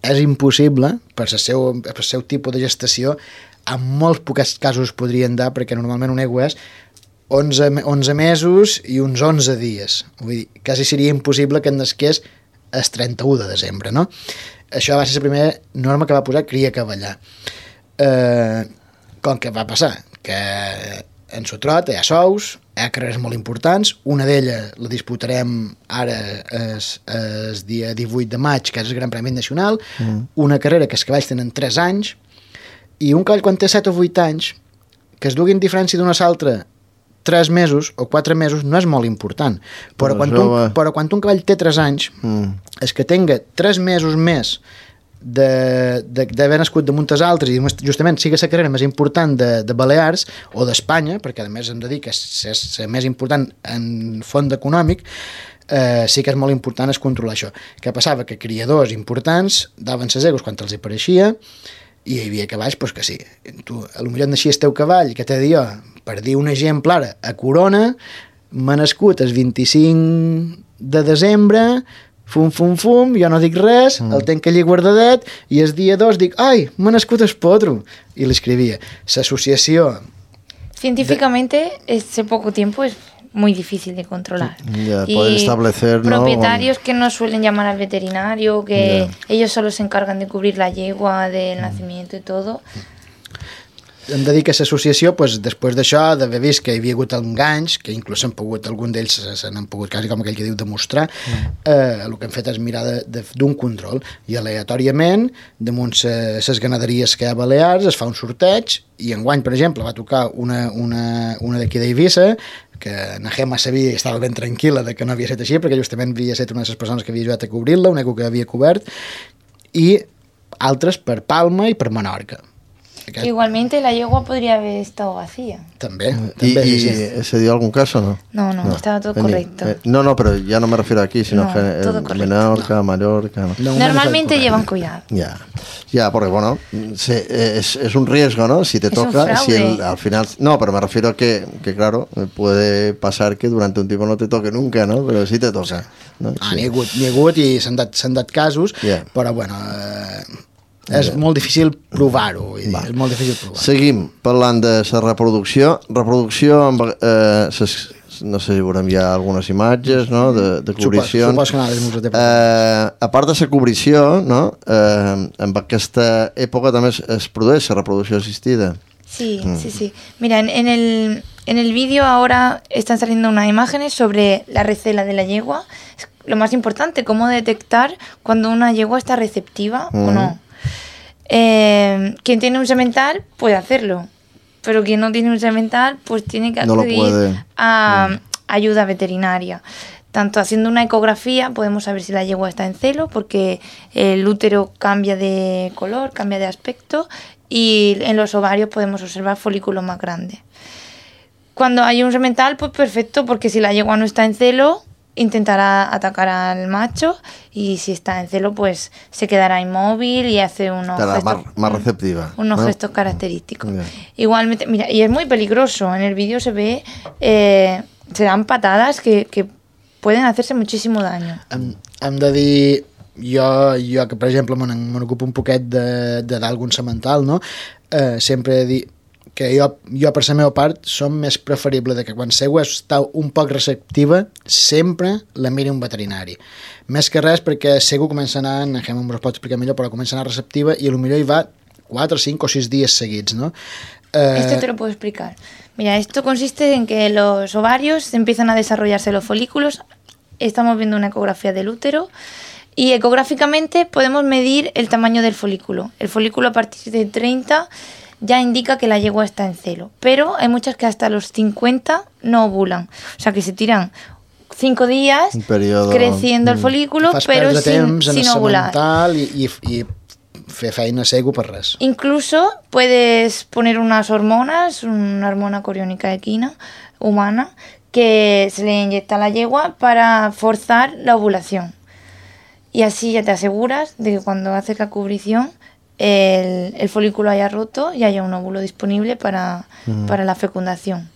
és impossible, per el seu tipus de gestació, en molts pocs casos podrien dar, perquè normalment un ego és 11 mesos i uns 11 dies. Vull dir, quasi seria impossible que en nasqués el 31 de desembre, no? Això va ser la primera norma que va posar Cria Cavallà. Com que va passar? Que en su trot hi ha sous, hi ha carreres molt importants, una d'elles la disputarem ara el dia 18 de maig, que és el Gran Premi Nacional, una carrera que els cavalls tenen 3 anys, i un cavall quan té 7 o 8 anys, que es duguin diferència d'una a l'altra 3 mesos o 4 mesos no és molt important, però quan un cavall té 3 anys, és que tenga 3 mesos més d'haver nascut damunt els altres i justament sigui la carrera més important de Balears o d'Espanya, perquè a més hem de dir que és la més important en fons econòmic, sí que és molt important es controlar això. Què passava? Que criadors importants daven ses egos quan els hi pareixia i hi havia cavalls pues, que sí. Tu, potser naixia el teu cavall, que t'he de dir jo, per dir un exemple ara, a Corona, m'ha nascut el 25 de desembre, fum, jo no dic res, el tenc allí guardadet, i el dia 2 dic, ai, m'ha nascut el potro, i l'escrivia. L'associació... Científicamente, ese poco tiempo es muy difícil de controlar. Poder establecer, propietarios que no suelen llamar al veterinario, que ellos solo se encargan de cubrir la yegua del nacimiento y todo. Hem de dir que l'associació, pues, després d'això, d'haver vist que hi havia hagut enganys, que inclús algun d'ells se n'han pogut, quasi com aquell que diu, demostrar, el que hem fet és mirar d'un control, i aleatòriament, damunt les ganaderies que hi ha a Balears, es fa un sorteig, i enguany, per exemple, va tocar una d'aquí d'Eivissa, que na Gemma sabia i estava ben tranquil·la de que no havia estat així, perquè justament havia estat una de les persones que havia ajudat a cobrir-la, un ego que havia cobert, i altres per Palma i per Menorca. Igualmente la yegua podría haber estado vacía. También. ¿Y se dio algún caso o no? No, estaba todo correcto. No, pero ya no me refiero aquí, sino que Menorca, Mallorca... No. Normalmente llevan cuidado. Ya, porque bueno, es un riesgo, ¿no? Si te toca, si al final... No, pero me refiero a que claro, puede pasar que durante un tiempo no te toque nunca, ¿no? Pero sí te toca. ¿no? N'hi ha hagut i s'han dat casos, però bueno... és molt difícil provar-ho. És molt difícil provar-ho. Seguim parlant de la reproducció. Reproducció amb... no sé si veurem ja algunes imatges, no?, de cobrició. Supos que no, a part de la cobrició, no?, en aquesta època també es produeix la reproducció assistida. Sí. Mira, en el vídeo ahora están saliendo unas imágenes sobre la recela de la yegua. Es lo más importante, cómo detectar cuando una yegua está receptiva o no. Quien tiene un semental puede hacerlo, pero quien no tiene un semental pues tiene que acudir a ayuda veterinaria. tanto haciendo una ecografía podemos saber si la yegua está en celo, porque el útero cambia de color, cambia de aspecto, y en los ovarios podemos observar folículos más grandes. Cuando hay un semental, pues perfecto, porque si la yegua no está en celo, intentará atacar al macho, y si está en celo, pues se quedará inmóvil y hace unos gestos, más receptiva, unos gestos característicos. Yeah. Igualmente, mira, y es muy peligroso, en el vídeo se ve, se dan patadas que pueden hacerse muchísimo daño. Hem de dir, jo que per exemple me n'ocupo un poquet d'algun semental, no? Sempre he dit que jo per la meva part som més preferible de que quan l'egua està un poc receptiva sempre la miri un veterinari. Més que res perquè l'egua comença a anar, en Gemma ens ho pot explicar millor, però comença a anar receptiva i potser hi va 4, 5 o 6 días seguidos, ¿no? Esto te lo puedo explicar. Mira, esto consiste en que los ovarios empiezan a desarrollarse los folículos. Estamos viendo una ecografía del útero y ecográficamente podemos medir el tamaño del folículo. El folículo a partir de 30 ya indica que la yegua está en celo, pero hay muchas que hasta los 50 no ovulan. O sea, que se tiran 5 días creciendo el folículo, pero sin ovular. I fer feina segur per res. Incluso puedes poner unas hormonas, una hormona coriónica equina humana, que se le inyecta a la yegua para forzar la ovulación. Y así ya te aseguras de que cuando haces la cubrición el folículo haya roto y haya un óvulo disponible para la fecundación.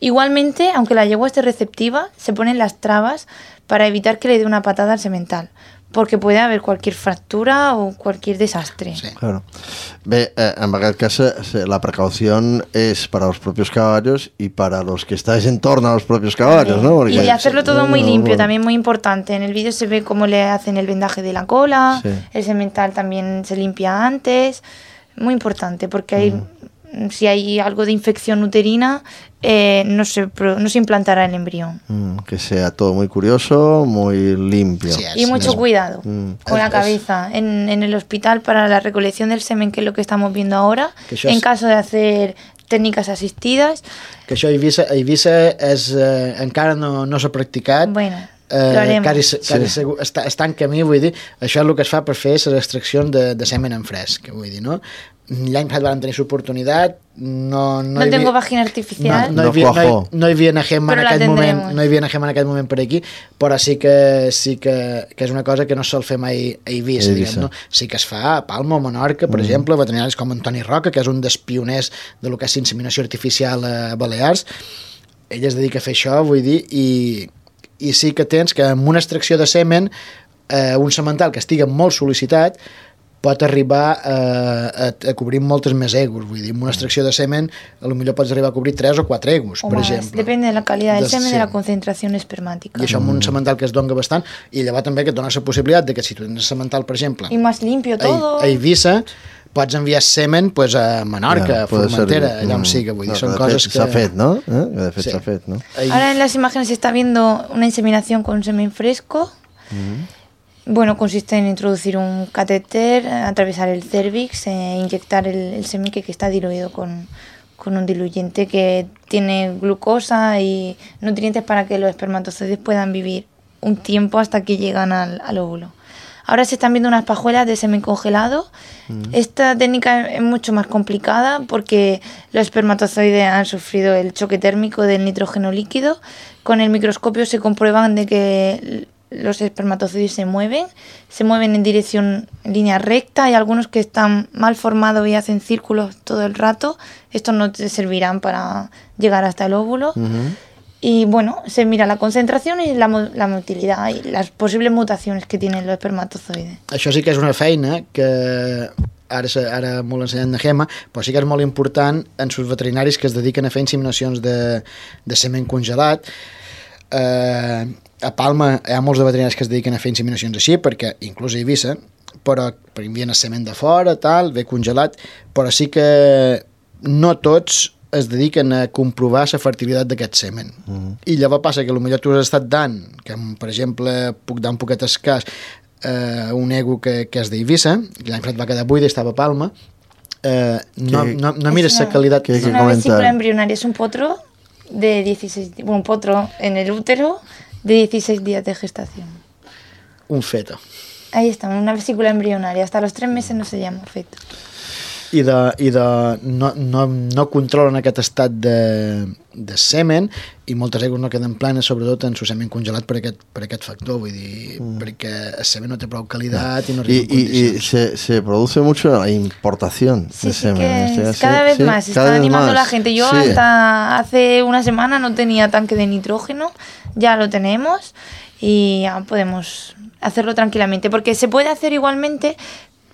Igualmente, aunque la yegua esté receptiva, se ponen las trabas para evitar que le dé una patada al semental, porque puede haber cualquier fractura o cualquier desastre. Sí. Claro. Bé, en aquest cas la precaución es para los propios caballos y para los que estáis en torno a los propios caballos, ¿no? Porque y hacerlo todo muy limpio, también muy importante. En el vídeo se ve cómo le hacen el vendaje de la cola, el semental también se limpia antes. Muy importante, porque hay, si hay algo de infección uterina, no se implantará el embrión. Que sea todo muy curioso, muy limpio. Sí, y mucho cuidado con la cabeza. En el hospital, para la recolección del semen, que es lo que estamos viendo ahora, en caso de hacer técnicas asistidas. Que això a Eivissa encara no s'ha practicat. Bueno, lo haremos. Està en camí, vull dir, això és el que es fa per fer les extraccions de semen en fresc, vull dir, no? L'any passat van tenir l'oportunitat, no tengo vagina artificial, no hi havia una Gemma en aquest moment per aquí, però sí que és una cosa que no sol fer mai a Eivissa, diguem, no? Sí que es fa a Palma o Menorca, per exemple, veterinaris com Antoni Roca, que és un dels pioners de lo que és inseminació artificial a Balears. Ell es dedica a fer això, vull dir, i sí que tens que amb una extracció de semen un semental que estigui molt sol·licitat pot arribar a cobrir moltes més egos, vull dir, amb una extracció de semen potser pots arribar a cobrir 3 o 4 egos, per exemple. Depende de la calidad del semen y de la concentración espermática. I això amb un semental que es dona bastant, i llavors també que et dona la possibilitat de que si tu tens semental, per exemple, i más limpio todo, a Eivissa, pots enviar semen a Menorca, a Formentera, allà on sigui, vull dir, són coses que... S'ha fet, no? De fet s'ha fet, no? Ahora en las imágenes se está viendo una inseminación con semen fresco. Bueno, consiste en introducir un catéter, atravesar el cérvix, inyectar el semen que está diluido con un diluyente que tiene glucosa y nutrientes para que los espermatozoides puedan vivir un tiempo hasta que llegan al óvulo. Ahora se están viendo unas pajuelas de semen congelado. Esta técnica es mucho más complicada porque los espermatozoides han sufrido el choque térmico del nitrógeno líquido. Con el microscopio se comprueban de que los espermatozoides se mueven en línea recta. Hay algunos que están mal formados y hacen círculos todo el rato. Estos no te servirán para llegar hasta el óvulo. Y bueno, se mira la concentración y la motilidad y las posibles mutaciones que tienen los espermatozoides. Això sí que és una feina que ara molt ensenyant de Gemma, però sí que és molt important en els veterinaris que es dediquen a fer inseminacions de semen congelat. A Palma hi ha molts de veterinaris que es dediquen a fer inseminacions així, perquè inclús a Eivissa, però envien el semen de fora, tal, ve congelat, però sí que no tots es dediquen a comprovar la fertilitat d'aquest semen. I llavors passa que potser tu has estat dant, que per exemple puc dar un poquet escàs, un ego que és d'Eivissa, i l'any passat va quedar buida i estava a Palma, no mires la qualitat. Es una vesícula embrionaria, es un potro de 16, un potro en el útero de 16 días de gestación. Un feto. Ahí está, una vesícula embrionaria. Hasta los 3 meses no se llama feto. I no controlen aquest estat de semen, i moltes aigües no queden planes, sobretot en su semen congelat per aquest factor, vull dir, perquè el semen no té prou qualitat i no arriba en condicions. Y se produce mucho la importación de semen. Cada vez más, se está animando la gente. Yo hasta hace una semana no tenía tanque de nitrógeno, ya lo tenemos y ya podemos hacerlo tranquilamente, porque se puede hacer igualmente,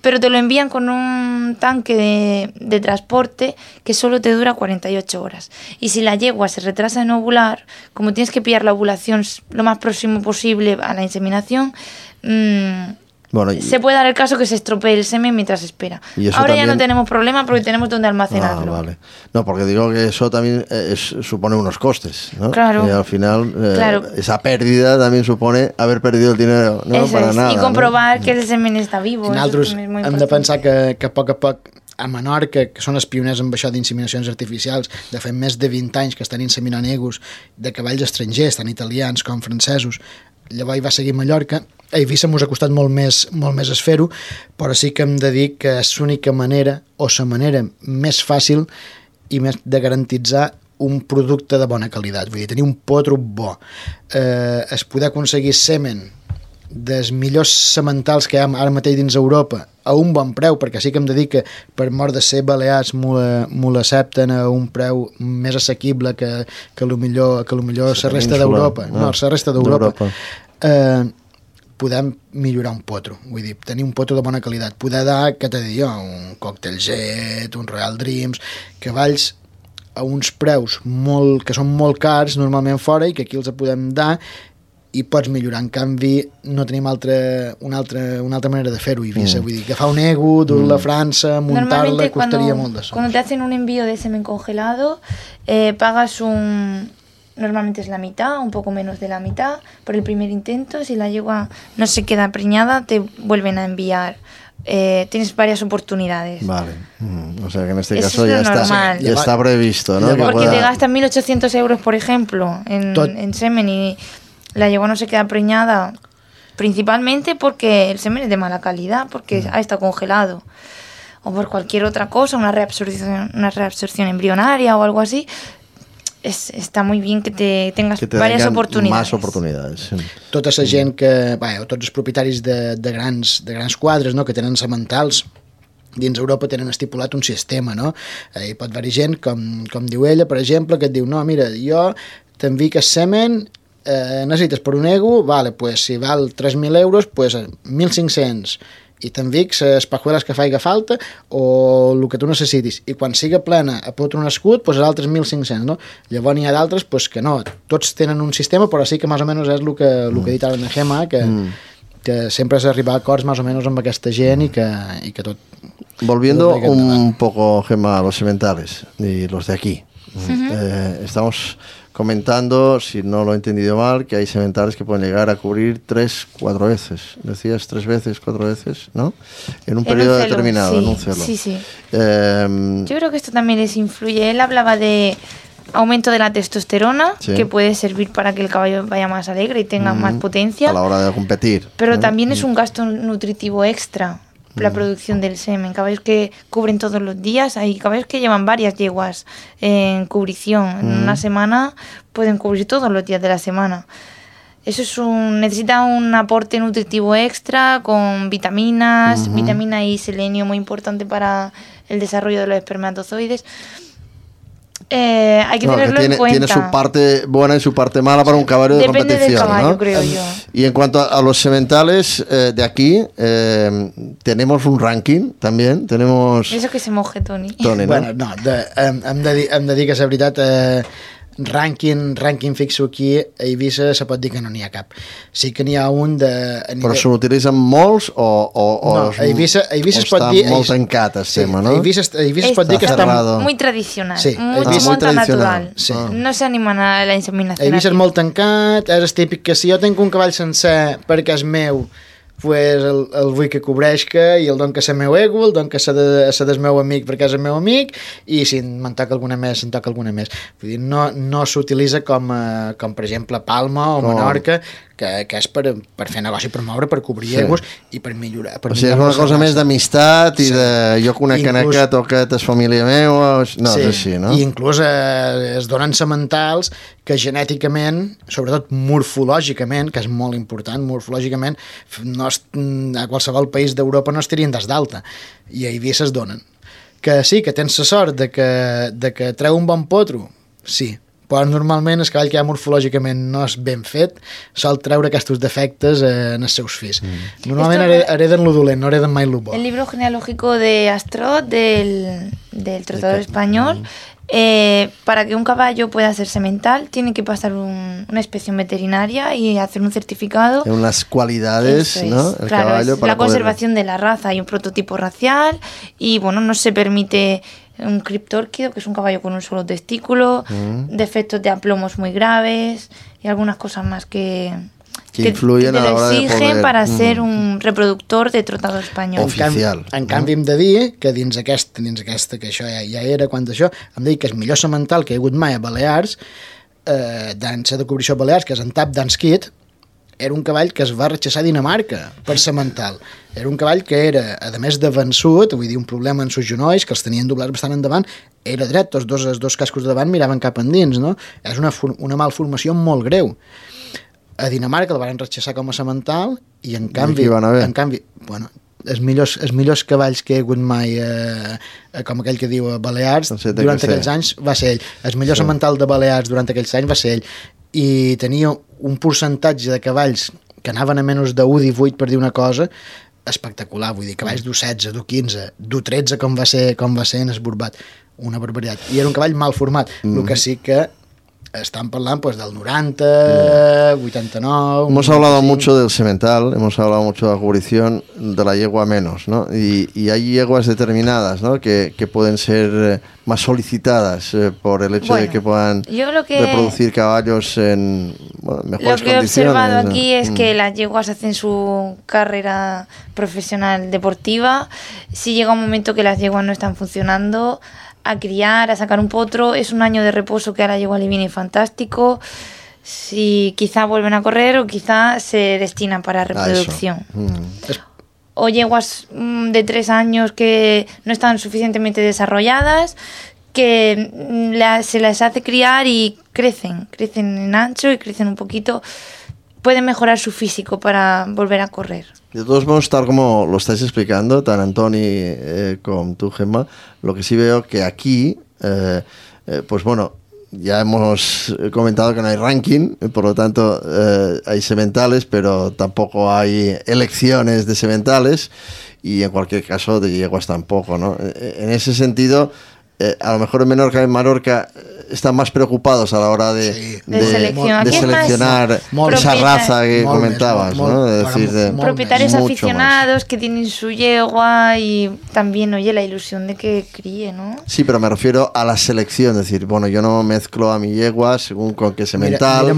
pero te lo envían con un tanque de transporte que solo te dura 48 horas. Y si la yegua se retrasa en ovular, como tienes que pillar la ovulación lo más próximo posible a la inseminación, se puede dar el caso que se estropee el semen mientras espera. Ahora también... ya no tenemos problema porque tenemos donde almacenarlo. Vale. No, porque digo que eso también supone unos costes, ¿no? Claro. Y al final esa pérdida también supone haber perdido el dinero, no para nada. Y comprobar que el semen está vivo. Nosaltres hem de pensar que a poc a Menorca, que són els pioners amb això d'inseminacions artificials, de fa més de 20 anys que estan inseminant egus de cavalls estrangers, tant italians com francesos. Llavors hi va seguir Mallorca. A Eivissa mos ha costat molt més fer-ho, però sí que hem de dir que és l'única manera, o la manera més fàcil i més de garantitzar un producte de bona qualitat, vull dir, tenir un potro bo. Es poder aconseguir semen dels millors sementals que hi ha ara mateix dins Europa a un bon preu, perquè sí que hem de dir que per mort de ser balears m'ho l'accepten a un preu més assequible que millor la resta d'Europa. No, la resta d'Europa. Podem millorar un potro, vull dir, tenir un potro de bona qualitat, poder dar, què t'he de dir jo, un Cocktail Jet, un Royal Dreams, cavalls a uns preus que són molt cars normalment fora i que aquí els podem dar i pots millorar. En canvi, no tenim una altra manera de fer-ho, Eivissa. Vull dir, agafar un ego, dur-la a França, muntar-la, costaria molt de sol. Cuando te hacen un envío de semen congelado, pagas normalmente es la mitad, un poco menos de la mitad, por el primer intento. Si la yegua no se queda preñada, te vuelven a enviar. Tienes varias oportunidades. Vale. O sea que en este caso ya está previsto, ¿no? Porque te gastas 1.800 euros, por ejemplo, en semen y la yegua no se queda preñada, principalmente porque el semen es de mala calidad, porque ha estado congelado, o por cualquier otra cosa, una reabsorción embrionaria o algo así. Està molt bé que tengas diverses oportunitats. Més oportunitats. Sí. Tota la gent tots els propietaris de grans quadres, no?, que tenen sementals, dins Europa tenen estipulat un sistema, no? Hi pot haver gent, com diu ella, per exemple, que et diu, no, mira, jo t'envic el semen, necessites per un ego, vale, pues, si val 3.000 euros, pues 1.500, i t'envic les pajueles que faiga falta o el que tu necessitis, i quan siga plena a potro nascut, pues els altres 1.500, no? Llavors n'hi ha d'altres pues, que no, tots tenen un sistema, però sí que més o menys és el que he dit ara en Gemma, que sempre has d'arribar a acords més o menys amb aquesta gent i que tot... Volviendo un poco, Gemma, a los sementales y los de aquí. Estamos comentando, si no lo he entendido mal, que hay sementales que pueden llegar a cubrir 3-4 veces. Decías 3 veces, 4 veces, ¿no? En un periodo determinado, sí, en un celo. Sí. Yo creo que esto también les influye. Él hablaba de aumento de la testosterona, que puede servir para que el caballo vaya más alegre y tenga más potencia. A la hora de competir. Pero también es un gasto nutritivo extra. La producción del semen, caballos que cubren todos los días, hay caballos que llevan varias yeguas en cubrición, en una semana pueden cubrir todos los días de la semana. Eso necesita un aporte nutritivo extra con vitaminas, vitamina y selenio, muy importante para el desarrollo de los espermatozoides. Hay que tenerlo en cuenta. Tiene su parte buena y su parte mala para un caballo de competición. Depende del caballo, ¿no? creo yo. Y en cuanto a los sementales de aquí, tenemos un ranking también. Tenemos... Eso que se moje, Toni. ¿No? Bueno, no, hem de dir que la veritat... Rànquing fixo aquí a Eivissa se pot dir que no n'hi ha cap. Sí que n'hi ha un de... Però se n'utilitzen molts o no, a Eivissa es pot dir... Està molt tancat el tema, no? A Eivissa es pot dir que està... Muy tradicional, sí, muy natural. Sí. No s'animen a la inseminació. A Eivissa és molt tancat, és el típic que si jo tinc un cavall sencer perquè és meu, pues el vull que cobreixca i el don que és el meu ego, el don que és el meu amic perquè és el meu amic, i si me'n toca alguna més, se'n toca alguna més. Vull dir, no s'utilitza com per exemple Palma o Menorca, que és per fer negoci, per moure, per cobrir egos i per millorar. O sigui, és una cosa més d'amistat i de jo conec aquest o aquest és família meva, no, és així, no? I inclús es donen sementals que genèticament, sobretot morfològicament, que és molt important, morfològicament, a qualsevol país d'Europa no estarien des d'alta, i a Eivissa es donen. Que sí, que tens la sort de que treu un bon potro, sí, però normalment el cavall que ja morfològicament no és ben fet sol treure aquests defectes en els seus fills. Normalment hereden lo dolent, no hereden mai lo bo. El libro genealógico de Astrot, del Trotador Español, para que un caballo pueda ser semental tiene que pasar una inspección veterinaria y hacer un certificado. Unas cualidades, ¿no? El caballo para la conservación de la raza y un prototipo racial, y bueno, no se permite un criptórquido, que es un caballo con un solo testículo, defectos de aplomos muy graves y algunas cosas más que influyen a la hora de exigen para ser un reproductor de trotador espanyol. Oficial. En canvi, hem de dir que dins aquesta, que això ja era quan d'això, hem de dir que el millor semental que hi ha hagut mai a Balears, dansa de cobrició a Balears, que és en Tap d'Anskit, era un cavall que es va rechaçar a Dinamarca per semental. Era un cavall que era, a més de vençut, vull dir, un problema en sus genolls, que els tenien doblats bastant endavant, era dret, els dos cascos de davant miraven cap endins, no? És una malformació molt greu. A Dinamarca el van rechaçar com a semental i en canvi, bueno, els millors cavalls que he hagut mai, com aquell que diu a Balears, durant aquells anys va ser ell. El millor semental de Balears durant aquells anys va ser ell. I tenia un percentatge de cavalls que anaven a menys de 1,18, per dir una cosa, espectacular, vull dir, cavalls d'1,16, d'1,15, d'1,13 com va ser en esborbat, una barbaritat. I era un cavall mal format, el que sí que están hablando pues del 90, 89... Hemos hablado mucho del semental, hemos hablado mucho de la cubrición, de la yegua menos, ¿no? Y hay yeguas determinadas, ¿no? Que pueden ser más solicitadas por el hecho de que puedan reproducir caballos en mejores condiciones. Lo que he observado aquí es que las yeguas hacen su carrera profesional deportiva. Si llega un momento que las yeguas no están funcionando, a criar, a sacar un potro, es un año de reposo que a la yegua le viene fantástico. Si quizá vuelven a correr o quizá se destinan para reproducción. O yeguas de 3 años que no están suficientemente desarrolladas, que se las hace criar y crecen en ancho y crecen un poquito, pueden mejorar su físico para volver a correr. De todos modos, tal como lo estáis explicando, tan Antoni como tú, Gemma, lo que sí veo que aquí, pues bueno, ya hemos comentado que no hay ranking, por lo tanto hay sementales, pero tampoco hay elecciones de sementales y en cualquier caso de yeguas tampoco, ¿no? En ese sentido, a lo mejor en Menorca y en Mallorca están más preocupados a la hora de seleccionar esa raza que comentabas, ¿no? Es decir, propietarios aficionados que tienen su yegua y también, oye, la ilusión de que críe, ¿no? Sí, pero me refiero a la selección, es decir, bueno, yo no mezclo a mi yegua según con qué semental,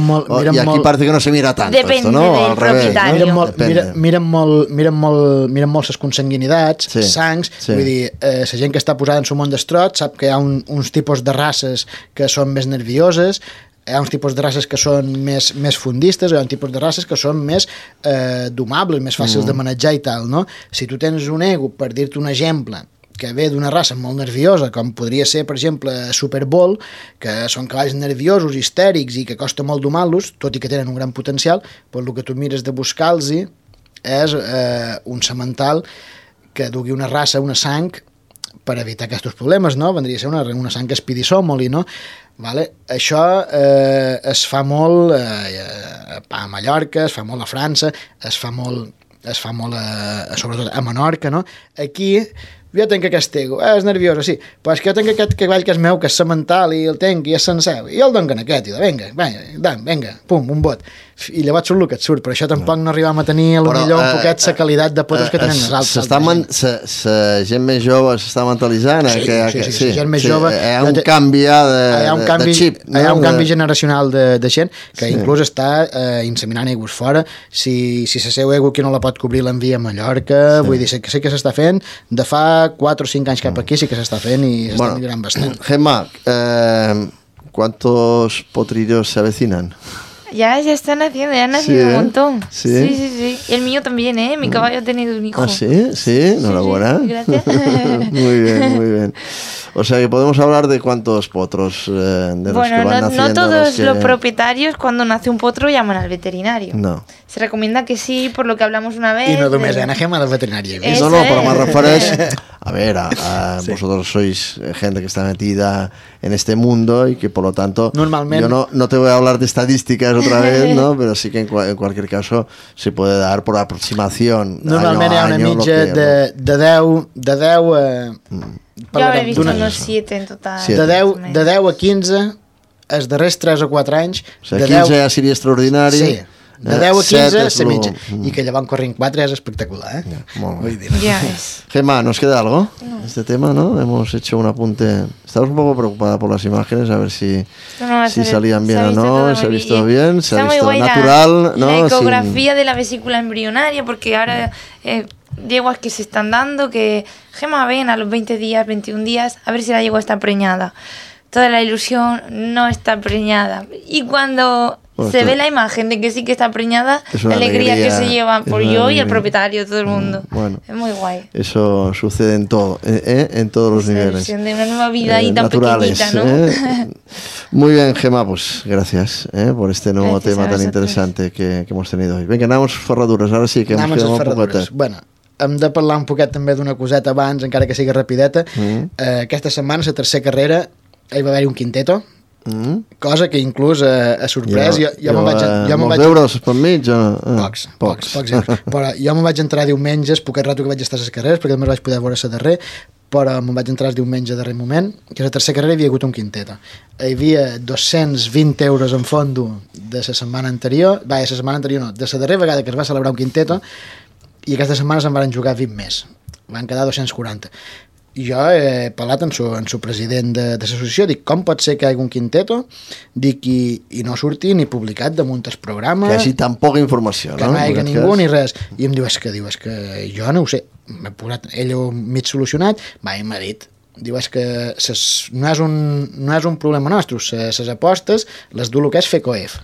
y aquí parece que no se mira tanto. Depende esto, ¿no? del propietario. Miren molt les consanguinitats, sangs, vull dir, la gent que està posada en su món d'estrot sap que hi ha uns tipus de races que són més nervioses, hi ha uns tipus de races que són més fundistes, hi ha un tipus de races que són més domables, més fàcils de manejar i tal, no? Si tu tens un ego, per dir-te un exemple, que ve d'una raça molt nerviosa, com podria ser, per exemple, Super Bowl, que són cavalls nerviosos, histèrics i que costa molt domar-los, tot i que tenen un gran potencial, però el que tu mires de buscar-los és un semental que dugui una raça, una sang, per evitar aquests problemes, no? Vendria a ser una sang Spidisomoli, no? Vale? Això es fa molt a Mallorca, es fa molt a França, es fa molt sobretot a Menorca, no? Aquí jo tenc aquest ego, és nerviosa, sí, però és que jo tenc aquest cavall que és meu, que és semental, i el tenc, i és sencer, i el donen aquest, i vinga, pum, un bot. i llavors surt el que et surt, però això tampoc no arribem a tenir a lo millor un poquet la qualitat de potros que tenen els altres. La gent més jove s'està mentalitzant. Sí, gent més jove. Hi ha un canvi de xip. Hi ha un canvi generacional de gent que inclús està inseminant aigües fora. Si la seva aigua que no la pot cobrir l'envia a Mallorca, vull dir, que sí que s'està fent, de fa 4 o 5 anys cap aquí sí que s'està fent i s'està millorant bastant. Gemma, ¿cuántos potrillos se avecinan? Ya están haciendo, ya han nacido un montón. Sí. Y el mío también, ¿eh? Mi caballo ha tenido un hijo. ¿Ah, sí? Sí, enhorabuena. Sí, gracias. Muy bien. O sea que podemos hablar de cuántos potros de los que van naciendo. No todos los propietarios cuando nace un potro llaman al veterinario. No. Se recomienda que sí, por lo que hablamos una vez. Y no només Ana Gemma del veterinario. No, pero me refereix a ver, vosotros sois gente que está metida en este mundo y que por lo tanto normalmente yo no te voy a hablar de estadísticas otra vez, ¿no? Pero sí que en cualquier caso se puede dar por aproximación. Normalment hi ha una mitja de 10 yo habré visto unos 7 en total. De 10 a 15 els darrers 3 o 4 anys. O sigui, 15 ja seria extraordinari. Sí. De 10 a 15 se mitja. I que llevan corrent 4 és espectacular, ¿eh? Molt bé. Ya es. Gemma, ¿nos queda algo? No. Este tema, ¿no? Hemos hecho un apunte. Estamos un poco preocupada por las imágenes, a ver si salían bien o no. Se ha visto bien, se ha visto natural, ¿no? La ecografía de la vesícula embrionaria, porque ahora yeguas que se están dando, que Gemma, ven a los 20 días, 21 días, a ver si la yegua está preñada. Toda la ilusión no está preñada. Y cuando se ve la imagen de que sí que está preñada, la alegría que se lleva por yo y el propietario, todo el mundo. Bueno, es muy guay. Eso sucede en todo, en todos los niveles. La ilusión de una nueva vida y tan pequeñita, ¿no? Muy bien, Gemma, pues gracias por este nuevo tema tan interesante que hemos tenido hoy. Venga, anamos ferradures, ara sí que ens quedem un poquet. Bueno, hem de parlar un poquet també d'una coseta abans, encara que sigui rapideta. Aquesta setmana, la tercera carrera, hi va haver-hi un quinteto, cosa que inclús ha sorprès. Jo molts euros per mig? Pocs euros. Però jo me'n vaig entrar diumenges, poquet rato que vaig estar a les carreres, perquè només vaig poder veure la darrer, però me'n vaig entrar el diumenge a darrer moment, que a la tercera carrera hi havia hagut un quinteto. Hi havia 220 euros en fondo de la setmana anterior, de la darrera vegada que es va celebrar un quinteto, i aquesta setmana se'n van jugar 20 més. Van quedar 240. Jo he parlat amb el president de l'associació, dic, com pot ser que hi hagi un quinteto, dic, i no surti ni publicat damunt el programa, que hi hagi tan poca informació, que no hi hagi ningú ni res, i em diu, és que jo no ho sé, m'he posat ell mig solucionat, i m'ha dit, diu, és que no és un problema nostre, les apostes les du el que és FECOEF.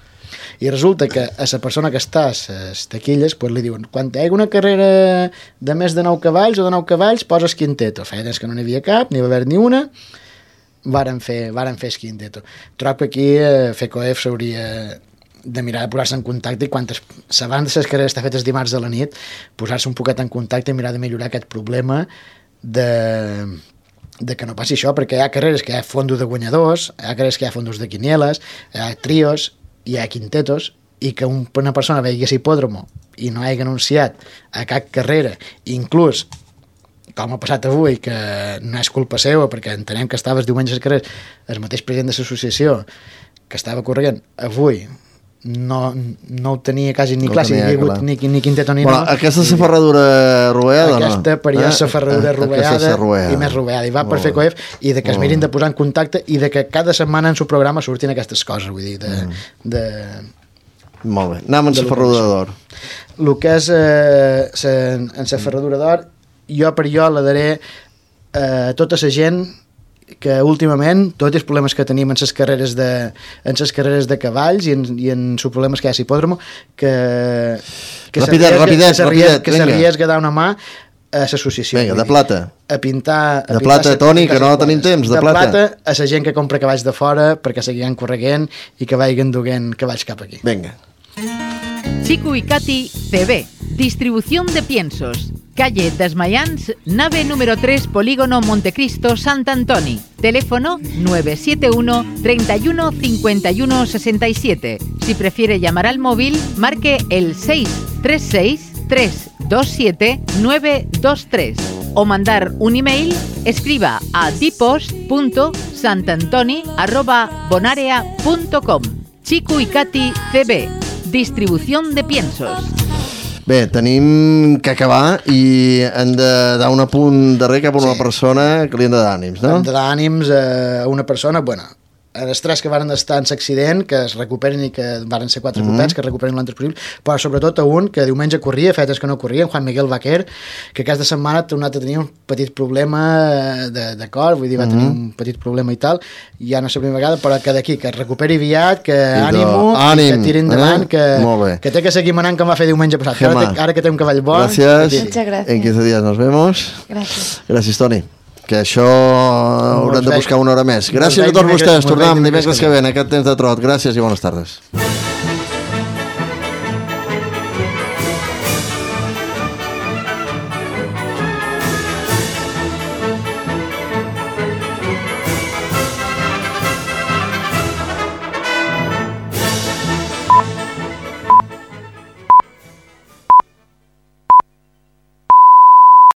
I resulta que a la persona que està a les taquilles li diuen, quan hi hagi una carrera de més de 9 cavalls o de 9 cavalls, poses quinteto. Feia temps que no n'hi havia cap, n'hi va haver ni una, varen fer el quinteto. Trobo que aquí FECOEF s'hauria de mirar de posar-se en contacte i abans de les carreres estan fetes dimarts a la nit, posar-se un poquet en contacte i mirar de millorar aquest problema de que no passi això, perquè hi ha carreres que hi ha fondos de guanyadors, hi ha carreres que hi ha fondos de quinieles, hi ha trios, hi ha quintetos, i que una persona vegi hipòdromo i no hagi anunciat a cap carrera, inclús com ha passat avui, que no és culpa seva, perquè entenem que estaves diumenge a les carreres, el mateix president de l'associació que estava corrent avui no ho tenia quasi ni clar, si hi havia hagut ni quinteto ni no. Aquesta és la ferradura roveada, no? Aquesta per jo és la ferradura roveada i més roveada, i va per FECOEF, i de que es mirin de posar en contacte i de que cada setmana en el programa surtin aquestes coses, vull dir, Molt bé, anem amb la ferradura d'or. El que és en la ferradura d'or, jo la daré a tota la gent que últimament tots els problemes que tenim en les carreres de cavalls i en els problemes que hi ha a l'hipòdromo, que s'arriesga a dar una mà a l'associació. Vinga, de plata. A pintar... De plata, Toni, que no tenim temps, de plata. De plata a la gent que compra cavalls de fora perquè seguien correguent i que vagin duent cavalls cap aquí. Vinga. Chico y Katy CB, distribución de piensos. Calle Desmayans, nave número 3, Polígono Montecristo, Sant Antoni. Teléfono 971 31 51 67. Si prefiere llamar al móvil, marque el 636 327 923. O mandar un email, escriba a dipost.santantoni@bonarea.com. Chico y Katy CB, distribución de piensos. Bé, tenim que acabar i hem de dar un apunt darrer cap a una persona que li hem de dar ànims, no? Hem de dar ànims a una persona, bueno, els tres que varen estar en l'accident, que es recuperen i que varen ser 4 copets, que es recuperen l'antes possible, però sobretot a un que diumenge corria, fetes que no corria, Juan Miguel Vaquer, que aquesta setmana ha tornat a tenir un petit problema de cor, vull dir, va tenir un petit problema i tal, ja no és la primera vegada, però que d'aquí, que es recuperi aviat, que ànimo, que tiri endavant, que té que seguir manant com va fer diumenge passat. Ara que té un cavall bo... Gràcies. En 15 dies nos vemos. Gràcies, Toni. Que això haurem de buscar una hora més. Gràcies a tots vostès. Tornem dimecres que ve en aquest temps de trot. Gràcies i bones tardes.